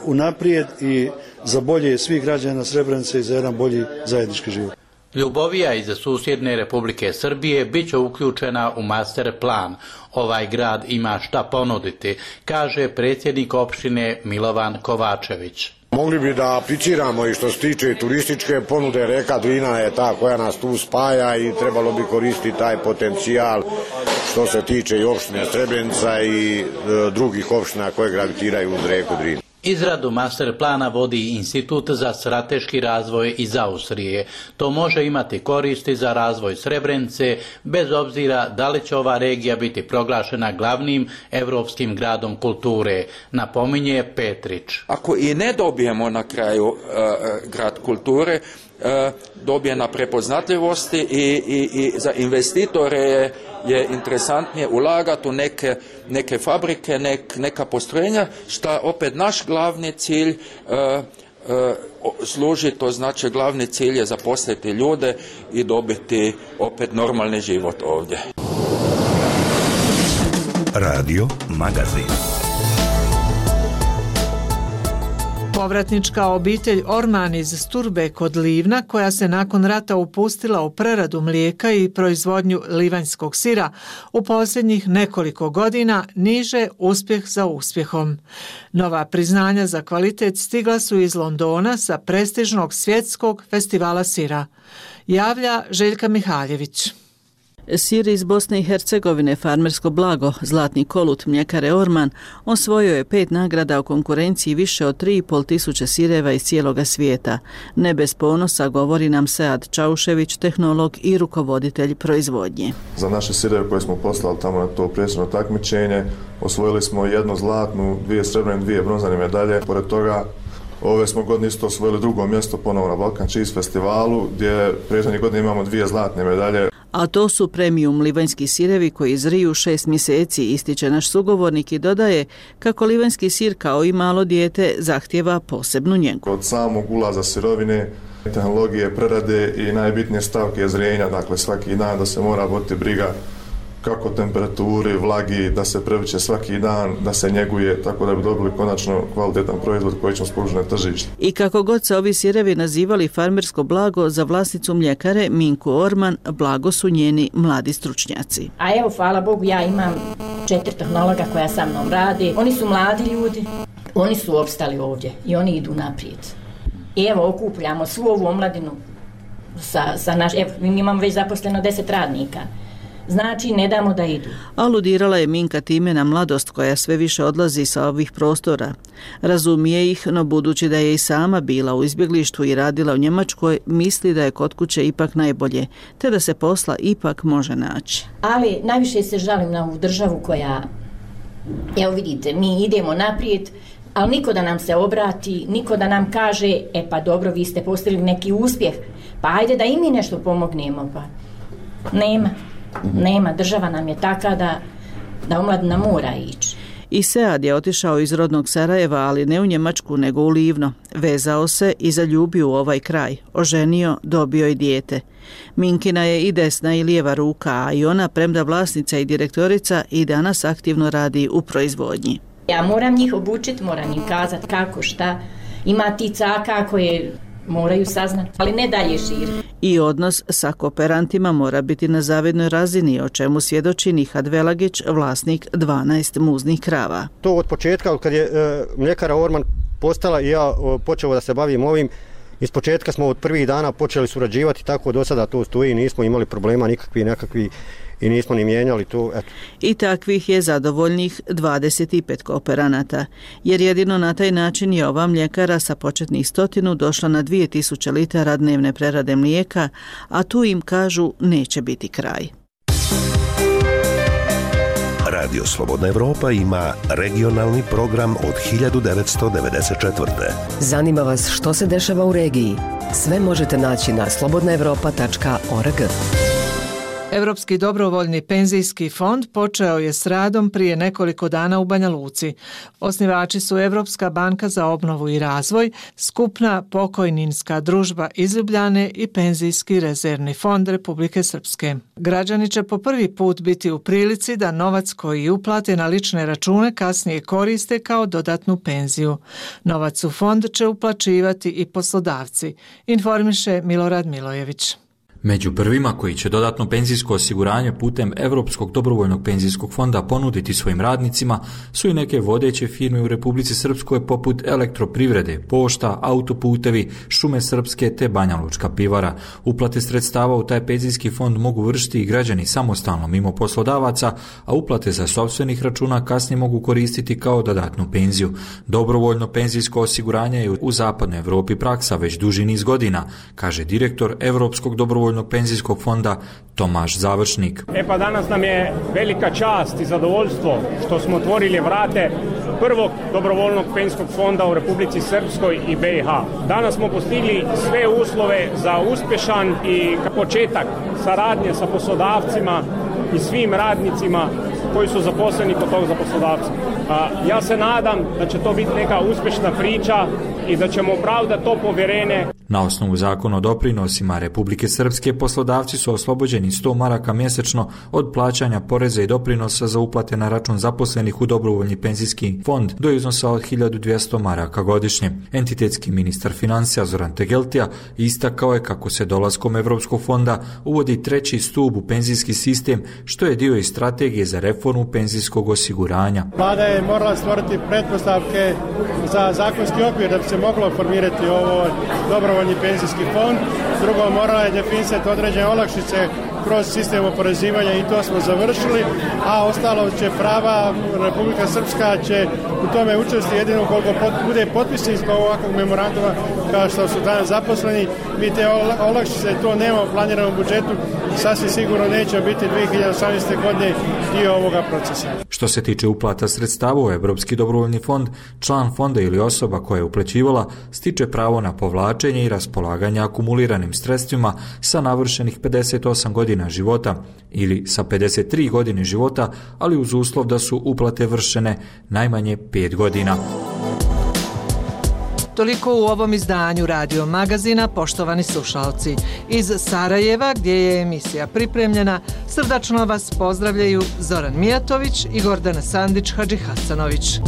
unaprijed i za bolje svih građana Srebrenice i za jedan bolji zajednički život. Ljubovija iz susjedne Republike Srbije bit će uključena u master plan. Ovaj grad ima šta ponuditi, kaže predsjednik opštine Milovan Kovačević. Mogli bi da apliciramo i što se tiče turističke ponude, reka Drina je ta koja nas tu spaja i trebalo bi koristiti taj potencijal što se tiče i opštine Srebrenica i drugih opština koje gravitiraju uz reku Drinu. Izradu master plana vodi Institut za strateški razvoj iz Austrije. To može imati koristi za razvoj Srebrenice, bez obzira da li će ova regija biti proglašena glavnim evropskim gradom kulture, napominje Petrić. Ako i ne dobijemo na kraju grad kulture, dobije na prepoznatljivosti i za investitore je interesantnije ulagati u neke fabrike, neka postrojenja, što opet naš glavni cilj služi, to znači glavni cilj je zaposliti ljude i dobiti opet normalni život ovdje. Radio Magazin. Povratnička obitelj Orman iz Sturbe kod Livna, koja se nakon rata upustila u preradu mlijeka i proizvodnju livanjskog sira, u posljednjih nekoliko godina niže uspjeh za uspjehom. Nova priznanja za kvalitet stigla su iz Londona sa prestižnog svjetskog festivala sira. Javlja Željka Mihaljević. Sir iz Bosne i Hercegovine, farmersko blago, zlatni kolut mljekare Orman, osvojio je 5 nagrada u konkurenciji više od 3.500 sireva iz cijeloga svijeta. Ne bez ponosa, govori nam Sead Čaušević, tehnolog i rukovoditelj proizvodnje. Za naše sireve koje smo poslali tamo na to prestižno takmičenje, osvojili smo 1 zlatnu, 2 srebrne, 2 bronzane medalje. Pored toga, ove smo godine isto osvojili 2. mjesto ponovo na Balkan Cheese festivalu, gdje prethodne godine imamo 2 zlatne medalje. A to su premium livanjski sirevi koji zriju 6 mjeseci, ističe naš sugovornik i dodaje kako livanjski sir kao i malo dijete zahtjeva posebnu njegu. Od samog ulaza sirovine, tehnologije, prerade i najbitnije stavke zrenja, dakle svaki dan da se mora voditi briga kako temperaturi, vlagi, da se prevrće svaki dan, da se njeguje, tako da bi dobili konačno kvalitetan proizvod koji ćemo spružiti na tržište. I kako god se ovi sirevi nazivali farmersko blago, za vlasnicu mljekare Minku Orman blago su njeni mladi stručnjaci. A evo, hvala Bogu, ja imam 4 tehnologa koja sa mnom rade. Oni su mladi ljudi, oni su opstali ovdje i oni idu naprijed. I evo, okupljamo svu ovu omladinu evo, mi imamo već zaposleno 10 radnika. Znači, ne damo da idu. Aludirala je Minka time na mladost koja sve više odlazi sa ovih prostora. Razumije ih, no budući da je i sama bila u izbjeglištvu i radila u Njemačkoj, misli da je kod kuće ipak najbolje, te da se posla ipak može naći. Ali najviše se žalim na ovu državu koja, evo vidite, mi idemo naprijed, ali niko da nam se obrati, niko da nam kaže, pa dobro, vi ste postigli neki uspjeh, pa ajde da i mi nešto pomognemo, pa nema, država nam je taka da omladina mora ići. I Sead je otišao iz rodnog Sarajeva, ali ne u Njemačku, nego u Livno. Vezao se i zaljubio u ovaj kraj. Oženio, dobio i dijete. Minkina je i desna i lijeva ruka, a i ona, premda vlasnica i direktorica, i danas aktivno radi u proizvodnji. Ja moram njih obučiti, moram im kazati kako, šta. Ima ti caka koje moraju saznati, ali ne dalje širiti. I odnos sa kooperantima mora biti na zavidnoj razini, o čemu svjedoči Nihad Velagić, vlasnik 12 muznih krava. To od početka, kad je mljekara Orman postala i ja počeo da se bavim ovim, iz početka smo od prvih dana počeli surađivati, tako do sada to stoji, nismo imali problema nekakvi i nismo ni mijenjali to. Eto. I takvih je zadovoljnih 25 kooperanata, jer jedino na taj način je ova mljekara sa početnih 100 došla na 2000 litara dnevne prerade mlijeka, a tu im kažu neće biti kraj. Radio Slobodna Evropa ima regionalni program od 1994. Zanima vas što se dešava u regiji? Sve možete naći na slobodnaevropa.org. Europski dobrovoljni penzijski fond počeo je s radom prije nekoliko dana u Banja Luci. Osnivači su Europska banka za obnovu i razvoj, Skupna pokojninska družba iz Ljubljane i Penzijski rezervni fond Republike Srpske. Građani će po prvi put biti u prilici da novac koji uplate na lične račune kasnije koriste kao dodatnu penziju. Novac u fond će uplaćivati i poslodavci, informiše Milorad Milojević. Među prvima koji će dodatno penzijsko osiguranje putem Europskog dobrovoljnog penzijskog fonda ponuditi svojim radnicima su i neke vodeće firme u Republici Srpskoj poput Elektroprivrede, Pošta, Autoputevi, Šume Srpske te Banja Lučka pivara. Uplate sredstava u taj penzijski fond mogu vršiti i građani samostalno mimo poslodavaca, a uplate za sopstvenih računa kasnije mogu koristiti kao dodatnu penziju. Dobrovoljno penzijsko osiguranje je u zapadnoj Evropi praksa već duži niz godina, kaže direktor Europskog dobrovoljnog penzijskog fonda Tomaš Završnik. Pa danas nam je velika čast i zadovoljstvo što smo otvorili vrate prvog dobrovoljnog penzijskog fonda u Republici Srpskoj i BiH. Danas smo postigli sve uslove za uspješan i početak saradnje sa poslodavcima i svim radnicima koji su zaposleni kod tog poslodavca. Ja se nadam da će to biti neka uspješna priča i da ćemo opravdati to povjerenje. Na osnovu zakona o doprinosima Republike Srpske poslodavci su oslobođeni 100 maraka mjesečno od plaćanja poreza i doprinosa za uplate na račun zaposlenih u dobrovoljni penzijski fond do iznosa od 1200 maraka godišnje. Entitetski ministar financija Zoran Tegeltija istakao je kako se dolaskom Evropskog fonda uvodi treći stup u penzijski sistem, što je dio i strategije za reformu penzijskog osiguranja. Vlada je morala stvoriti pretpostavke za zakonski okvir da bi se moglo formirati ovo dobrovoljni penzijski fond. Drugo, morala je definisati određene olakšice kroz sistem oporezivanja i to smo završili, a ostalo će prava, Republika Srpska će u tome učestvovati jedino koliko bude potpisnik ovakvog memoranduma kao što su danas zaposleni. Mi te olakšice, to nemamo planirano u budžetu, sasvim sigurno neće biti 2018. godine dio ovoga procesa. Što se tiče uplata sredstava u Evropski dobrovoljni fond, član fonda ili osoba koja je uplaćivala stiče pravo na povlačenje i raspolaganje akumuliranim sredstvima sa navršenih 58 godina života ili sa 53 godine života, ali uz uslov da su uplate vršene najmanje 5 godina. Toliko u ovom izdanju Radio Magazina, poštovani slušalci. Iz Sarajeva, gdje je emisija pripremljena, srdačno vas pozdravljaju Zoran Mijatović i Gordana Sandić-Hadžihasanović.